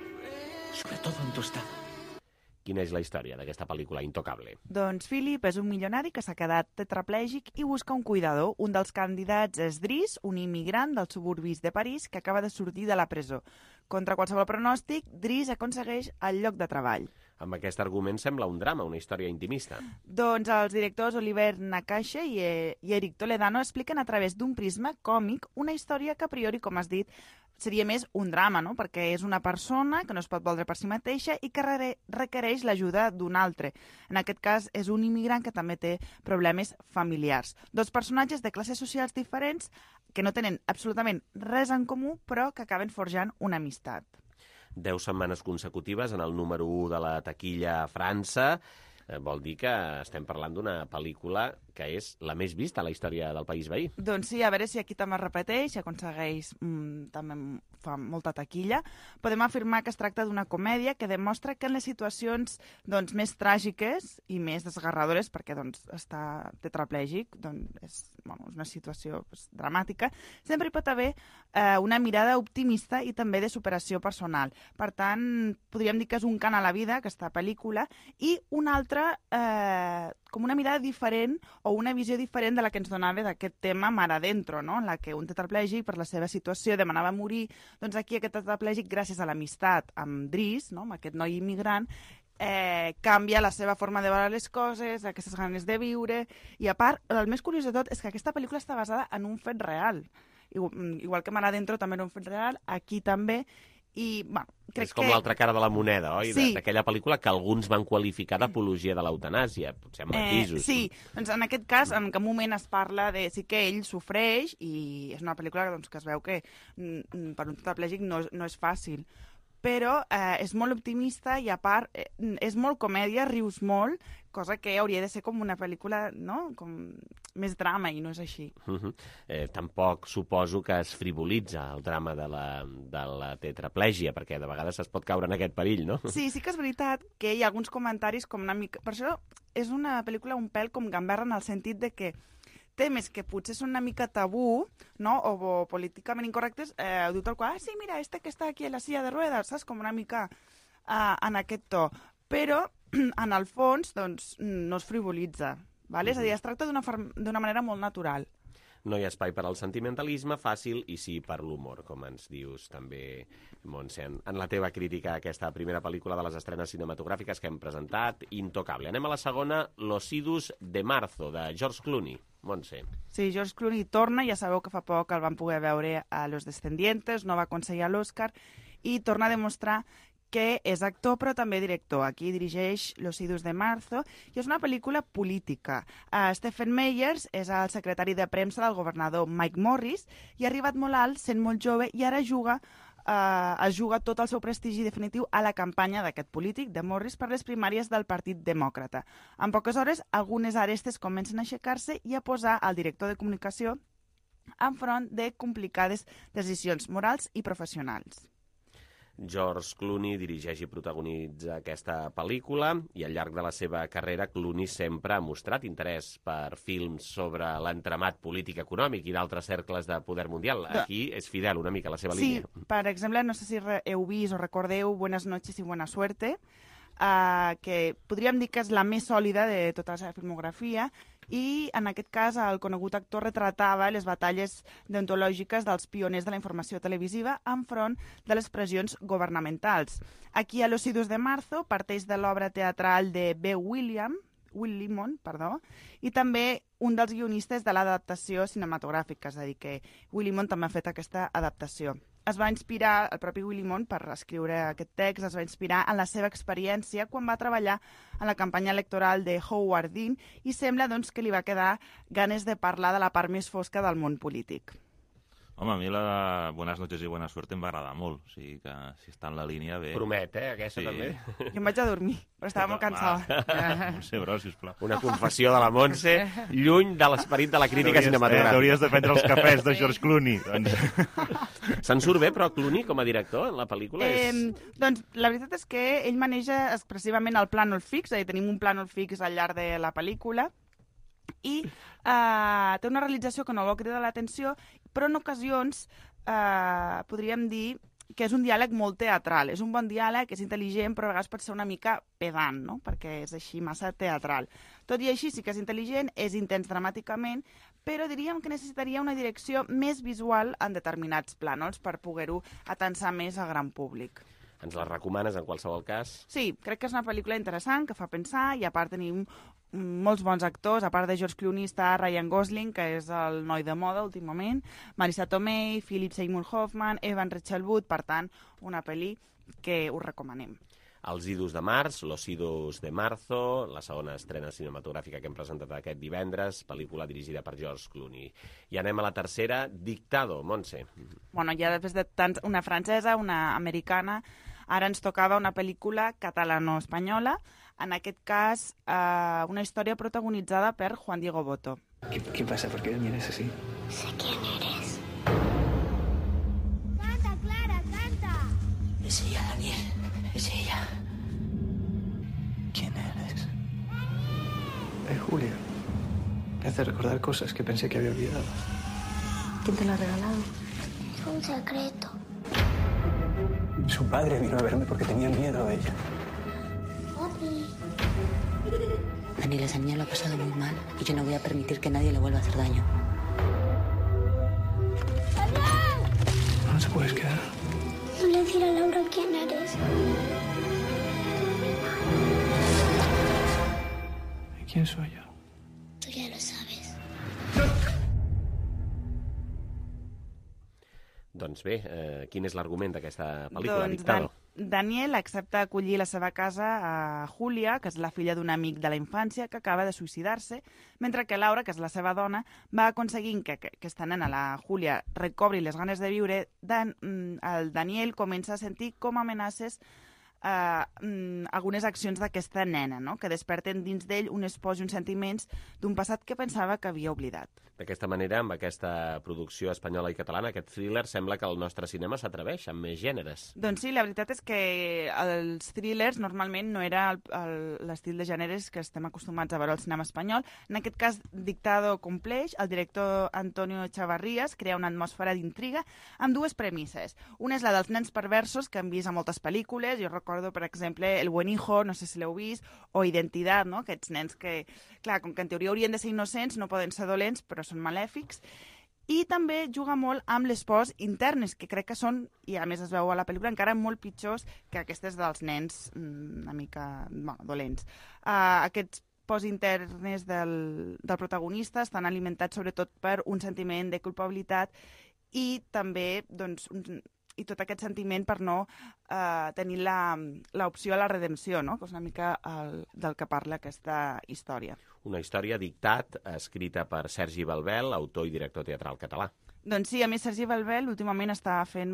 Sobre todo en tu estado. Quina és la història d'aquesta pel·lícula Intocable? Doncs Philip és un milionari que s'ha quedat tetraplègic i busca un cuidador. Un dels candidats és Driss, un immigrant dels suburbis de París que acaba de sortir de la presó. Contra qualsevol pronòstic, Driss aconsegueix el lloc de treball. Amb aquest argument sembla un drama, una història intimista. Doncs els directors Oliver Nakache i, eh, i Eric Toledano expliquen a través d'un prisma còmic una història que a priori, com has dit, seria més un drama, no? Perquè és una persona que no es pot voldre per si mateixa i que re requereix l'ajuda d'un altre. En aquest cas és un immigrant que també té problemes familiars. Dos personatges de classes socials diferents que no tenen absolutament res en comú, però que acaben forjant una amistat. Deu setmanes consecutives en el número u de la taquilla a França. Eh, vol dir que estem parlant d'una pel·lícula que és la més vista a la història del país veí. Doncs sí, a veure si aquí també es repeteix, si aconsegueix mm, també fa molta taquilla. Podem afirmar que es tracta d'una comèdia que demostra que en les situacions doncs, més tràgiques i més desgarradores, perquè doncs, està tetraplègic, doncs, és, bueno, és una situació doncs, dramàtica, sempre hi pot haver eh, una mirada optimista i també de superació personal. Per tant, podríem dir que és un cant a la vida, aquesta pel·lícula, i una altra, eh, com una mirada diferent o una visió diferent de la que ens donava d'aquest tema Mar Adentro, no? En la que un tetraplègic, per la seva situació, demanava morir. Doncs aquí aquest tetraplègic, gràcies a l'amistat amb Driss, no? Amb aquest noi immigrant, eh, canvia la seva forma de veure les coses, aquestes ganes de viure, i a part, el més curiós de tot és que aquesta pel·lícula està basada en un fet real. Igual, igual que Mar Adentro també era un fet real, aquí també, i, bueno, crec és com que... l'altra cara de la moneda, oi? Sí. D'aquella pel·lícula que alguns van qualificar d'apologia de l'eutanàsia, potser amb matisos. Eh, sí, doncs en aquest cas, en cap moment es parla de... Sí que ell sofreix i és una pel·lícula doncs, que es veu que mm, per un tetraplègic no, no és fàcil, però eh, és molt optimista i a part eh, és molt comèdia, rius molt, cosa que hauria de ser com una pel·lícula, no?, com més drama, i no és així. Uh -huh. eh, tampoc suposo que es frivolitza el drama de la, de la tetraplègia, perquè de vegades es pot caure en aquest perill, no? Sí, sí que és veritat que hi ha alguns comentaris com una mica... Per això és una pel·lícula un pèl com gamberra en el sentit de que temes que potser són una mica tabú, no?, o, o políticament incorrectes, eh, ho diu tal qual, ah, sí, mira, este que està aquí a la silla de ruedas, saps? Com una mica eh, en aquest to. Però, en el fons, doncs, no es frivolitza, vale? És a dir, es tracta d'una d'una manera molt natural. No hi ha espai per al sentimentalisme fàcil i sí per l'humor, com ens dius també, Montse, en, en la teva crítica a aquesta primera pel·lícula de les estrenes cinematogràfiques que hem presentat, Intocable. Anem a la segona, Los idus de marzo, de George Clooney. Montse. Sí, George Clooney torna, ja sabeu que fa poc el van poder veure a Los Descendientes, no va aconseguir l'Oscar, i torna a demostrar que és actor però també director. Aquí dirigeix Los idus de marzo i és una pel·lícula política. Uh, Stephen Meyers és el secretari de premsa del governador Mike Morris i ha arribat molt alt, sent molt jove, i ara juga Uh, es juga tot el seu prestigi definitiu a la campanya d'aquest polític, de Morris, per les primàries del Partit Demòcrata. En poques hores, algunes arestes comencen a aixecar-se i a posar el director de comunicació enfront de complicades decisions morals i professionals. George Clooney dirigeix i protagonitza aquesta pel·lícula i al llarg de la seva carrera Clooney sempre ha mostrat interès per films sobre l'entramat polític econòmic i d'altres cercles de poder mundial. Aquí és fidel una mica a la seva sí, línia. Sí, per exemple, no sé si heu vist o recordeu Buenas noches y buena suerte, uh, que podríem dir que és la més sòlida de tota la seva filmografia, i en aquest cas el conegut actor retratava les batalles deontològiques dels pioners de la informació televisiva enfront de les pressions governamentals. Aquí a Los idus de marzo parteix de l'obra teatral de B. William, Will Limon, perdó, i també un dels guionistes de l'adaptació cinematogràfica, és a dir, que Will Limon també ha fet aquesta adaptació. Es va inspirar, el propi Will Limon, per escriure aquest text, es va inspirar en la seva experiència quan va treballar en la campanya electoral de Howard Dean i sembla doncs, que li va quedar ganes de parlar de la part més fosca del món polític. Home, a mi la de Buenas noches i buena suerte em va agradar molt. O sigui que si està en la línia bé... Promet, eh, aquesta sí. també. Jo em vaig a dormir, però estava molt cansada. No sé, bro, sisplau. Una confessió de la Montse, lluny de l'esperit de la crítica cinematogràfica. T'hauries de prendre els cafès de George Clooney. Se'n surt bé, però, Clooney, com a director, en la pel·lícula? És... Eh, doncs la veritat és que ell maneja expressivament el plànol fix, és a dir, tenim un plànol fix al llarg de la pel·lícula, i eh, té una realització que no vol cridar l'atenció, però en ocasions eh, podríem dir que és un diàleg molt teatral. És un bon diàleg, és intel·ligent, però a vegades pot ser una mica pedant, no?, perquè és així massa teatral. Tot i així sí que és intel·ligent, és intens dramàticament, però diríem que necessitaria una direcció més visual en determinats plànols per poder-ho atensar més al gran públic. Ens la recomanes en qualsevol cas? Sí, crec que és una pel·lícula interessant, que fa pensar, i a part tenim molts bons actors. A part de George Clooney està Ryan Gosling, que és el noi de moda últimament, Marisa Tomei, Philip Seymour Hoffman, Evan Rachel Wood, per tant, una pel·li que us recomanem. Els idus de març, Los idus de marzo, la segona estrena cinematogràfica que hem presentat aquest divendres, pel·lícula dirigida per George Clooney. I anem a la tercera, Dictado, Montse. Bueno, ja després de tants, una francesa, una americana, ara ens tocava una pel·lícula catalano-espanyola, en aquest cas eh, una història protagonitzada per Juan Diego Botto. ¿Qué, qué pasa? ¿Por qué vienes así? Sé quién eres. Canta, Clara, canta. Es ella, Daniel. Es ella. ¿Quién eres? Es Julia. Me hace recordar cosas que pensé que había olvidado. ¿Quién te lo ha regalado? Es un secreto. Su padre vino a verme porque tenía miedo a ella. Papi. Daniel, esa niña lo ha pasado muy mal y yo no voy a permitir que nadie le vuelva a hacer daño. ¿No te puedes quedar? No le diré a Laura quién eres. ¿Y quién soy yo? Tú ya lo sabes. Doncs bé, eh, quin és l'argument d'aquesta pel·lícula, Doncs Dictado? Dan Daniel accepta acollir la seva casa a Julia, que és la filla d'un amic de la infància que acaba de suïcidar-se, mentre que Laura, que és la seva dona, va aconseguint que, que aquesta nena, la Julia, recobri les ganes de viure. Dan, el Daniel comença a sentir com amenaces eh, mm, algunes accions d'aquesta nena, no? Que desperten dins d'ell unes pors i uns sentiments d'un passat que pensava que havia oblidat. D'aquesta manera, amb aquesta producció espanyola i catalana, aquest thriller, sembla que el nostre cinema s'atreveix amb més gèneres. Doncs sí, la veritat és que els thrillers normalment no era l'estil de gèneres que estem acostumats a veure al cinema espanyol. En aquest cas, Dictado compleix, el director Antonio Chavarrías crea una atmosfera d'intriga amb dues premisses. Una és la dels nens perversos, que hem vist a moltes pel·lícules. Jo recordo, per exemple, El buen hijo, no sé si l'heu vist, o Identidad, no? Aquests nens que, clar, com que en teoria haurien de ser innocents, no poden ser dolents, però són malèfics. I també juga molt amb les pors internes, que crec que són, i a més es veu a la pel·lícula, encara molt pitjors que aquestes dels nens una mica bueno, dolents. Uh, aquests pors internes del, del protagonista estan alimentats sobretot per un sentiment de culpabilitat i també doncs, un, i tot aquest sentiment per no eh, tenir l'opció a la redempció, no? Que és una mica el, del que parla aquesta història. Una història dictat, escrita per Sergi Balbel, autor i director teatral català. Doncs sí, a més, Sergi Balbel últimament està fent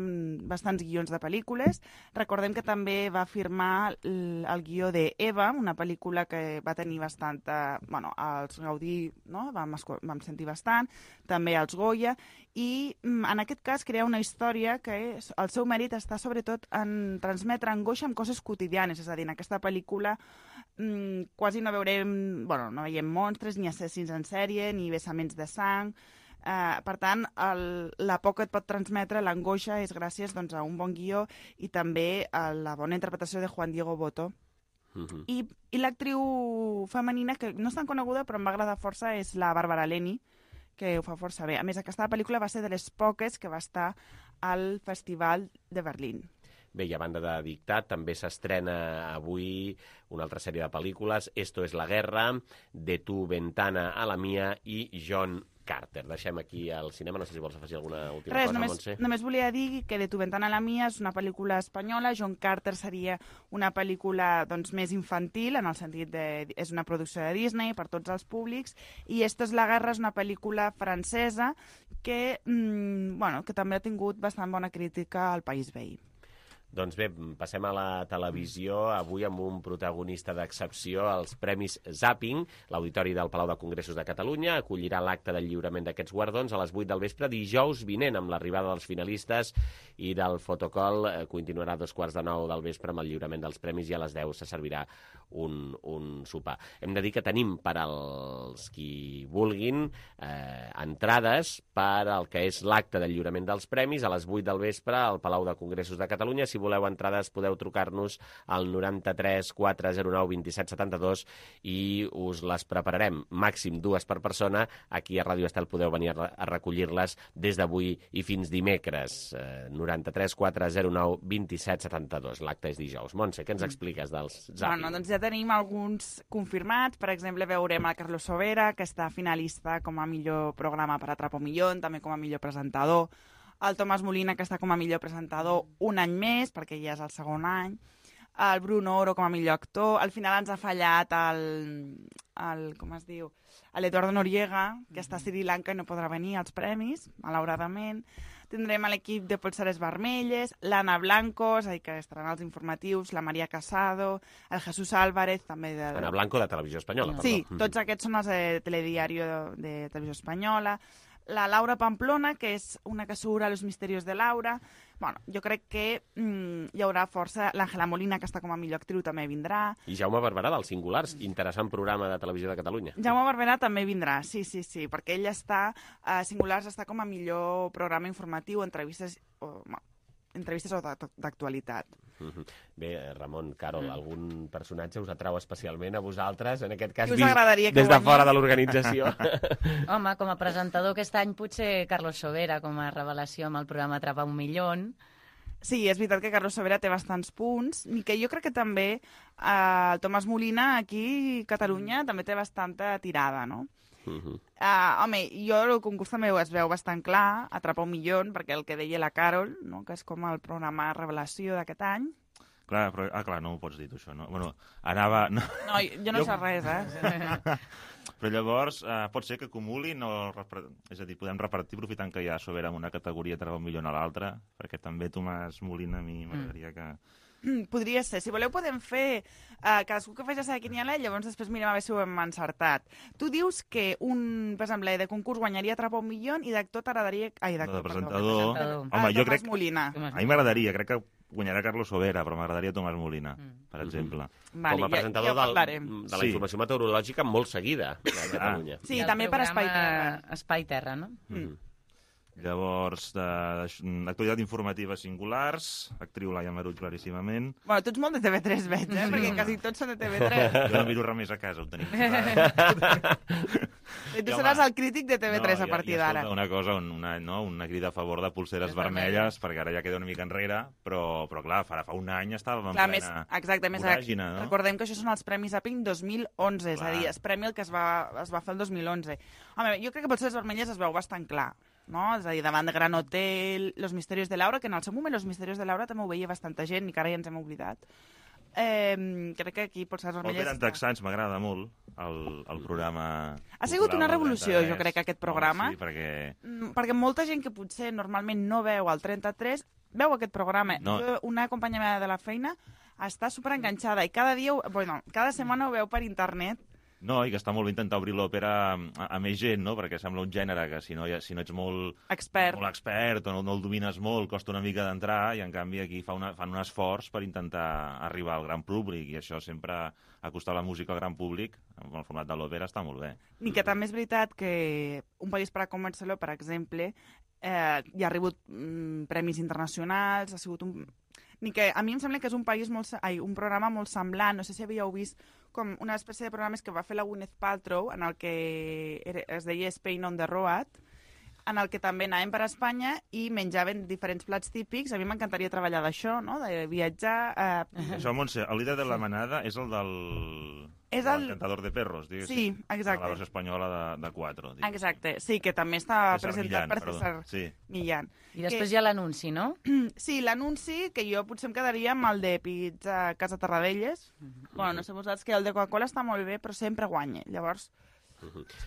bastants guions de pel·lícules. Recordem que també va firmar el, el guió de Eva, una pel·lícula que va tenir bastanta... Bueno, als Gaudí, no? Vam, vam sentir bastant, també als Goya, i en aquest cas crea una història que és, el seu mèrit està sobretot en transmetre angoixa amb coses quotidianes, és a dir, en aquesta pel·lícula mmm, quasi no veurem... Bueno, no veiem monstres, ni assassins en sèrie, ni vessaments de sang... Uh, per tant, el, la por que et pot transmetre l'angoixa és gràcies doncs, a un bon guió i també a la bona interpretació de Juan Diego Botto. Uh-huh. I, i l'actriu femenina, que no és tan coneguda però em va agradar força, és la Bàrbara Leni, que ho fa força bé. A més, aquesta pel·lícula va ser de les poques que va estar al Festival de Berlín. Bé, i a banda de Dictat, també s'estrena avui una altra sèrie de pel·lícules, Esto es la guerra, De tu ventana a la mía i John Carter. Deixem aquí al cinema, no sé si vols afegir alguna última Res, cosa, només, Montse. Només volia dir que De tu ventana a la mía és una pel·lícula espanyola, John Carter seria una pel·lícula doncs, més infantil, en el sentit de... és una producció de Disney per tots els públics, i Esto es la guerra és una pel·lícula francesa que, mmm, bueno, que també ha tingut bastant bona crítica al país veí. Doncs bé, passem a la televisió, avui amb un protagonista d'excepció, els Premis Zapping. L'Auditori del Palau de Congressos de Catalunya acollirà l'acte del lliurament d'aquests guardons a les vuit del vespre dijous vinent, amb l'arribada dels finalistes, i del fotocol continuarà a dos quarts de nou del vespre amb el lliurament dels premis, i a les deu se servirà un, un sopar. Hem de dir que tenim per als qui vulguin eh, entrades per al que és l'acte del lliurament dels premis a les vuit del vespre al Palau de Congressos de Catalunya. Si voleu entrades podeu trucar-nos al noranta-tres quatre zero nou vint set setanta-dos i us les prepararem. Màxim dues per persona. Aquí a Ràdio Estel podeu venir a recollir-les des d'avui i fins dimecres. Eh, noranta-tres quatre zero nou vint set setanta-dos. L'acte és dijous. Montse, què ens expliques dels Zapping? Bueno, doncs ja tenim alguns confirmats. Per exemple, veurem a Carlos Sobera, que està finalista com a millor programa per Atrapa un Millón, també com a millor presentador. El Tomàs Molina, que està com a millor presentador un any més, perquè ja és el segon any. El Bruno Oro com a millor actor. Al final ens ha fallat el, el com es diu, l'Eduardo Noriega, que està a Sri Lanka i no podrà venir als premis, malauradament. Tindrem l'equip de Polseres Vermelles, l'Anna Blanco, és a dir, que estaran als informatius, la Maria Casado, el Jesús Álvarez, també de... Anna Blanco, de Televisió Espanyola, sí, perdó. Tots aquests són els de Telediario de, de Televisió Espanyola. La Laura Pamplona, que és una que surt a Los Misterios de Laura. Bueno, jo crec que mm, hi haurà força. L'Àngela Molina, que està com a millor actriu, també vindrà. I Jaume Barberà, dels Singulars, interessant programa de Televisió de Catalunya. Jaume Barberà també vindrà, sí, sí, sí, perquè ell està, a Singulars està com a millor programa informatiu, entrevistes, o, bueno, entrevistes d'actualitat. Bé, Ramon, Carol, mm. algun personatge us atrau especialment a vosaltres, en aquest cas vist des de guanyi? fora de l'organització? Home, com a presentador aquest any potser Carlos Sobera, com a revelació amb el programa Atrapa un Millón. Sí, és veritat que Carlos Sobera té bastants punts, i que jo crec que també eh, el Tomàs Molina aquí a Catalunya també té bastanta tirada, no? Uh-huh. Uh, home, jo el concurs també es veu bastant clar, Atrapa un Millón, perquè el que deia la Carol, no? Que és com el programa revelació d'aquest any. Clar, però, ah, clar, no ho pots dir, tu, això, no? Bueno, anava... No, no jo no jo... sé res, eh? Però llavors, eh, pot ser que acumulin, o, és a dir, podem repartir aprofitant que hi ha Sobera en una categoria Atrapa un Millón a l'altra, perquè també Tomàs Molina a mi m'agradaria que... Podria ser. Si voleu podem fer uh, cadascú que faci la seva quiniela i llavors després mirem a veure si ho hem encertat. Tu dius que un, per exemple, de concurs guanyaria Atrapa un milió i d'actor t'agradaria... Ai, d'actor, de presentador... perdó. Home, Ah, jo Tomàs crec... Molina. A mi m'agradaria, crec que guanyarà Carlos Sobera, però m'agradaria Tomàs Molina, Mm. per exemple. Vale, Com a ja- presentador ja ho del, parlarem. de la Sí. informació meteorològica molt seguida a Catalunya. Sí, I el també per Espai programa Terra. Espai Terra, no? Mm. Llavors, d'actualitat informativa singulars, actriu Laia Marull claríssimament. Bueno, tu ets molt de T V tres, veig, eh? Perquè quasi tots són de T V tres. Jo no miro res més a casa, ho tenim. I tu seràs el crític de T V tres no, a partir i, i d'ara. escolta, Una cosa, una, no, una crida a favor de pulseres vermelles, perquè ara ja queda una mica enrere, però, però clar, fa, fa un any estàvem en Clar, plena més, exacte, més voràgine, no? recordem que això són els Premis Zapping dos mil onze, és a Clar. dir, el premi el que es va, es va fer el dos mil onze. Home, jo crec que Pulseres Vermelles es veu bastant clar, no? És a dir, davant de Gran Hotel, Los Misterios de Laura, que en el seu moment Los Misterios de Laura també ho veia bastanta gent i que ara ja ens hem oblidat. Eh, crec que aquí Pulseres Vermelles... Òpera en texans m'agrada molt, el, el programa... Ha sigut cultural una del revolució, trenta-tres. jo crec, aquest programa. Home, sí, perquè... Mm, perquè molta gent que potser normalment no veu el trenta-tres veu aquest programa. No. Jo, una companya meva de la feina està superenganxada i cada dia, ho- bueno, cada setmana ho veu per internet. No, i que està molt bé intentar obrir l'òpera a, a més gent, no? Perquè sembla un gènere que si no, hi ha- si no ets molt expert, molt expert o no, no el domines molt, costa una mica d'entrar, i en canvi aquí fa una, fan un esforç per intentar arribar al gran públic, i això sempre acostar la música al gran públic, en el format de l'òpera, està molt bé. Ni que també és veritat que Un país per a comer-se-lo, per exemple, eh, hi ha rebut mm, premis internacionals, ha sigut un... Ni que a mi em sembla que és un país molt, se- ai, un programa molt semblant, no sé si havíeu vist com una espècie de programes que va fer la Gwyneth Paltrow, en el que era, es deia Spain on the Road, en el que també anàvem per Espanya i menjaven diferents plats típics. A mi m'encantaria treballar d'això, no? De viatjar... Eh... Això, Montse, el líder de la manada és el del... És del el- Cantador de Perros, diguéssim. Sí, exacte. La versió espanyola de, de quatre. diguéssim. Exacte, sí, que també està César presentat Millán, per perdó. César Sí. Millán. I després Que- hi ha l'anunci, no? Sí, l'anunci, que jo potser em quedaria amb el de Pizza Casa Tarradellas. Bueno, no sé vosaltres, que el de Coca-Cola està molt bé, però sempre guanya. Llavors,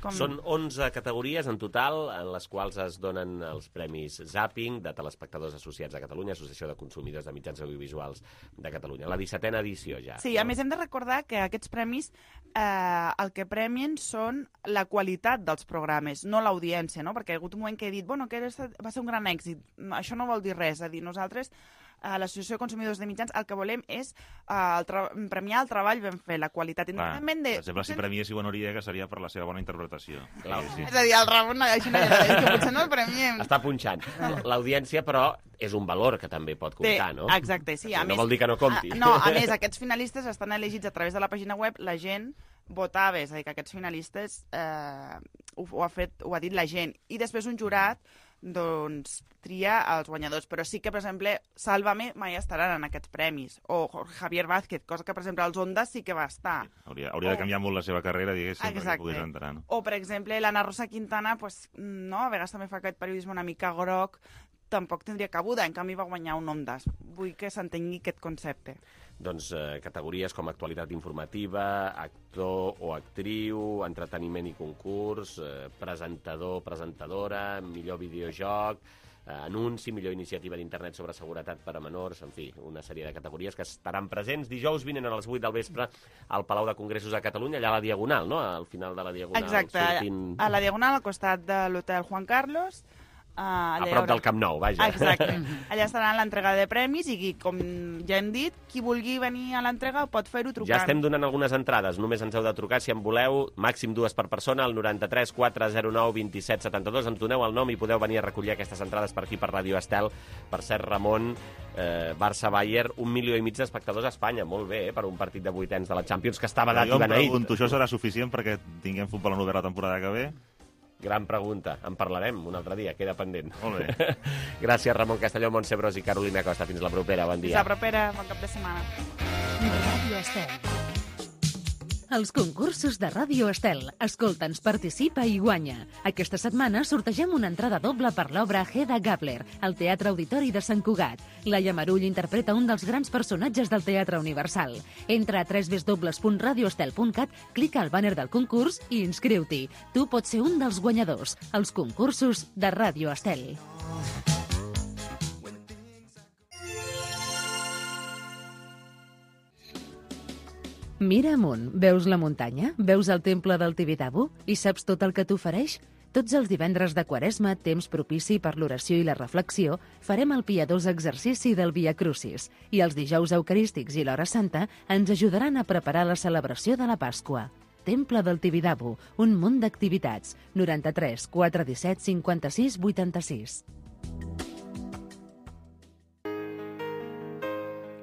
com- Són onze categories en total en les quals es donen els premis Zapping de telespectadors associats a Catalunya, Associació de Consumidors de Mitjans Audiovisuals de Catalunya. La dissetena edició ja. Sí, a més hem de recordar que aquests premis eh, el que premien són la qualitat dels programes, no l'audiència, no? Perquè hi ha hagut un moment que he dit, bueno, que era- va ser un gran èxit. Això no vol dir res, és a dir, nosaltres a l'Associació de Consumidors de Mitjans el que volem és uh, el tra- premiar el treball ben fet, la qualitat, Clar, independentment de... per exemple, si premiés Ivo Noriega seria per la seva bona interpretació. Clar, sí. És a dir, el Ramon, això no hi ha que potser no el premiem. Està punxant. L'audiència, però, és un valor que també pot comptar, no? Exacte, sí. A no més, vol dir que no compti. A, no, a més, aquests finalistes estan elegits a través de la pàgina web, la gent votava, és a dir, que aquests finalistes eh, ho, ho, ha fet, ho ha dit la gent. I després un jurat doncs tria els guanyadors, però sí que, per exemple, Sálvame mai estaran en aquests premis, o Jorge Javier Vázquez, cosa que, per exemple, als Ondas sí que va estar. Hauria, hauria de canviar molt la seva carrera, diguéssim, perquè Exacte. pogués entrar, no? O, per exemple, l'Anna Rosa Quintana, pues, no, a vegades també fa aquest periodisme una mica groc, tampoc tindria cabuda, en canvi va guanyar un Ondas. Vull que s'entengui aquest concepte. Doncs eh, categories com actualitat informativa, actor o actriu, entreteniment i concurs, eh, presentador, presentadora, millor videojoc, eh, anunci, millor iniciativa d'internet sobre seguretat per a menors, en fi, una sèrie de categories que estaran presents dijous vinent a les vuit del vespre al Palau de Congressos de Catalunya, allà a la Diagonal, no? Al final de la Diagonal. Exacte, sortint... a la Diagonal, al costat de l'Hotel Juan Carlos. Uh, A prop del Camp Nou, vaja. Exacte. Allà estarà l'entrega de premis i, com ja hem dit, qui vulgui venir a l'entrega pot fer-ho trucant. Ja estem donant algunes entrades, només ens heu de trucar si en voleu, màxim dues per persona, al noranta-tres quatre zero nou vint set setanta dos, ens doneu el nom i podeu venir a recollir aquestes entrades per aquí, per Ràdio Estel. Per cert, Ramon, eh, Barça-Bayern, un milió i mig d'espectadors a Espanya, molt bé, eh, per un partit de vuitens de la Champions que estava dat Jo i em beneït. pregunto, això serà suficient perquè tinguem futbol en obert la temporada que ve? Gran pregunta, en parlarem un altre dia, queda pendent. Molt bé. Gràcies, Ramon Castelló, Montse Bros i Carolina Costa. Fins la propera, bon Fins dia. la propera, bon cap de setmana. Ràdio Estel. Els concursos de Ràdio Estel. Escolta'ns, participa i guanya. Aquesta setmana sortegem una entrada doble per l'obra Hedda Gabler, al Teatre Auditori de Sant Cugat. Laia Marull interpreta un dels grans personatges del Teatre Universal. Entra a w w w punt radio estel punt cat, clica al bàner del concurs i inscriu-t'hi. Tu pots ser un dels guanyadors. Els concursos de Ràdio Estel. Mira amunt, veus la muntanya? Veus el temple del Tibidabo? I saps tot el que t'ofereix? Tots els divendres de Quaresma, temps propici per l'oració i la reflexió, farem el piadós exercici del Via Crucis i els dijous eucarístics i l'Hora Santa ens ajudaran a preparar la celebració de la Pasqua. Temple del Tibidabo, un munt d'activitats. noranta-tres quatre disset cinquanta-sis vuitanta-sis.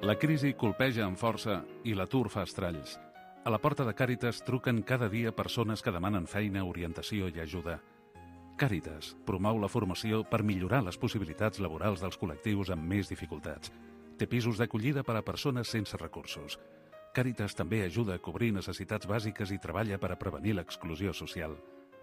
La crisi colpeja amb força i l'atur fa estralls. A la porta de Càritas truquen cada dia persones que demanen feina, orientació i ajuda. Càritas promou la formació per millorar les possibilitats laborals dels col·lectius amb més dificultats. Té pisos d'acollida per a persones sense recursos. Càritas també ajuda a cobrir necessitats bàsiques i treballa per a prevenir l'exclusió social.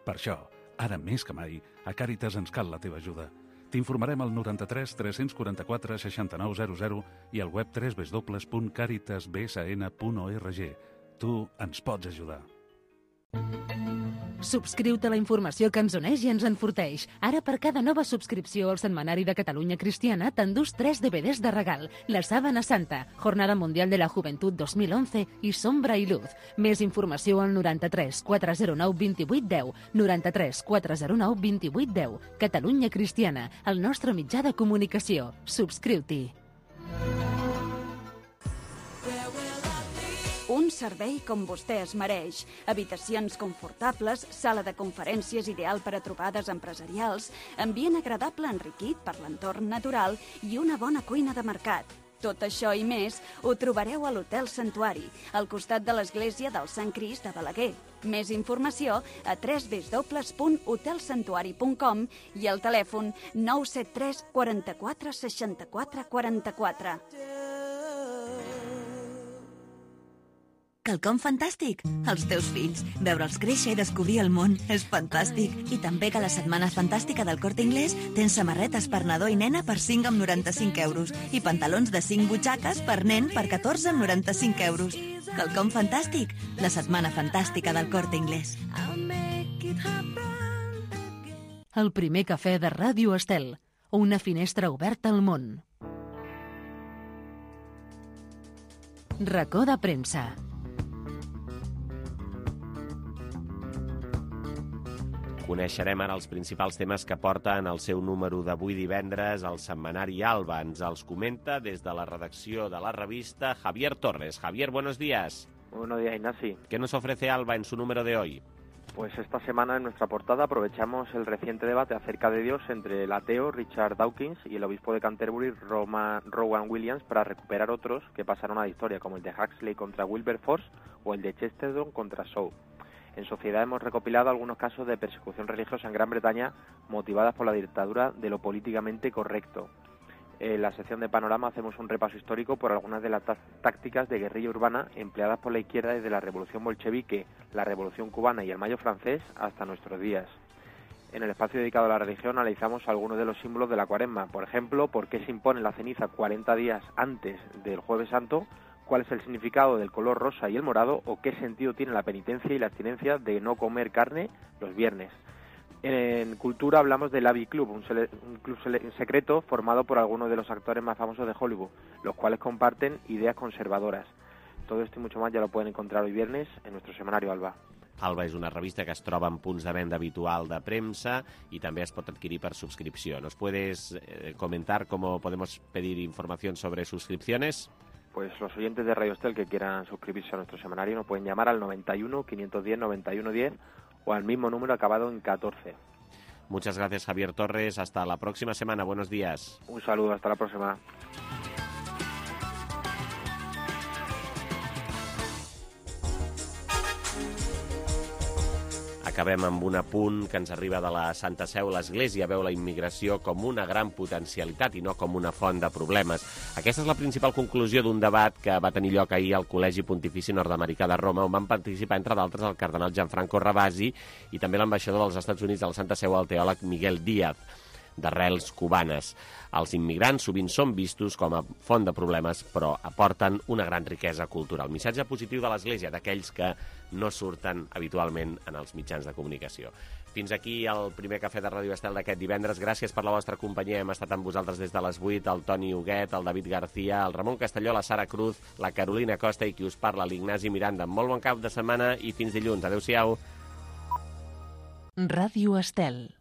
Per això, ara més que mai, a Càritas ens cal la teva ajuda. T'informarem al noranta-tres tres quaranta-quatre seixanta-nou zero zero i al web w w w punt caritas b s n punt org. Tu ens pots ajudar. Subscriu-te a la informació que ens uneix i ens enforteix. Ara, per cada nova subscripció al Setmanari de Catalunya Cristiana, t'endús tres D V Ds de regal. La Sábana Santa, Jornada Mundial de la Juventud dos mil onze i Sombra i Luz. Més informació al noranta-tres quatre zero nou vint-i-vuit deu, noranta-tres quatre zero nou vint-i-vuit deu. Catalunya Cristiana, el nostre mitjà de comunicació. Subscriu-t'hi. Un servei com vostè es mereix. Habitacions confortables, sala de conferències ideal per a trobades empresarials, ambient agradable enriquit per l'entorn natural i una bona cuina de mercat. Tot això i més ho trobareu a l'Hotel Santuari, al costat de l'església del Sant Crist de Balaguer. Més informació a w w w punt hotel santuari punt com i al telèfon nou set tres quaranta-quatre seixanta-quatre quaranta-quatre. Quelcom fantàstic! Els teus fills. Veure'ls créixer i descobrir el món és fantàstic. I també que a la Setmana Fantàstica del Corte Inglés tens samarretes per nadó i nena per cinc amb noranta-cinc euros i pantalons de cinc butxaques per nen per catorze amb noranta-cinc euros. Quelcom fantàstic! La Setmana Fantàstica del Corte Inglés. El primer cafè de Ràdio Estel. Una finestra oberta al món. Racó de premsa. Coneixerem ara els principals temes que porta en el seu número d'avui divendres el setmanari Alba. Ens els comenta des de la redacció de la revista Javier Torres. Javier, buenos días. Buenos días, Ignasi. ¿Qué nos ofrece Alba en su número de hoy? Pues esta semana en nuestra portada aprovechamos el reciente debate acerca de Dios entre el ateo Richard Dawkins y el obispo de Canterbury Roma, Rowan Williams para recuperar otros que pasaron a la historia, como el de Huxley contra Wilberforce o el de Chesterton contra Shaw. En Sociedad hemos recopilado algunos casos de persecución religiosa en Gran Bretaña motivadas por la dictadura de lo políticamente correcto. En la sección de Panorama hacemos un repaso histórico por algunas de las tácticas de guerrilla urbana empleadas por la izquierda desde la Revolución Bolchevique, la Revolución Cubana y el Mayo Francés hasta nuestros días. En el espacio dedicado a la religión analizamos algunos de los símbolos de la Cuaresma. Por ejemplo, por qué se impone la ceniza cuarenta días antes del Jueves Santo, cuál es el significado del color rosa y el morado o qué sentido tiene la penitencia y la abstinencia de no comer carne los viernes. En Cultura hablamos del Abbey Club, un, sele- un club sele- secreto formado por algunos de los actores más famosos de Hollywood, los cuales comparten ideas conservadoras. Todo esto y mucho más ya lo pueden encontrar hoy viernes en nuestro semanario Alba. Alba és una revista que es troba en punts de venda habitual de premsa y también es pot adquirir per suscripció. ¿Nos puedes eh, comentar cómo podemos pedir información sobre suscripciones? Pues los oyentes de Radio Estel que quieran suscribirse a nuestro semanario nos pueden llamar al noventa y uno, quinientos diez, noventa y uno diez o al mismo número acabado en catorce. Muchas gracias, Javier Torres. Hasta la próxima semana. Buenos días. Un saludo. Hasta la próxima. Acabem amb un apunt que ens arriba de la Santa Seu. L'Església veu la immigració com una gran potencialitat i no com una font de problemes. Aquesta és la principal conclusió d'un debat que va tenir lloc ahir al Col·legi Pontifici Nord-Americà de Roma, on van participar, entre d'altres, el cardenal Gianfranco Ravasi i també l'ambaixador dels Estats Units a la Santa Seu, el teòleg Miguel Díaz, d'arrels cubanes. Els immigrants sovint són vistos com a font de problemes, però aporten una gran riquesa cultural. Missatge positiu de l'Església, d'aquells que no surten habitualment en els mitjans de comunicació. Fins aquí el primer cafè de Ràdio Estel d'aquest divendres. Gràcies per la vostra companyia. Hem estat amb vosaltres des de les vuit, el Toni Huguet, el David García, el Ramon Castelló, la Sara Cruz, la Carolina Costa i qui us parla, l'Ignasi Miranda. Molt bon cap de setmana i fins dilluns. Adéu-siau. Ràdio Estel.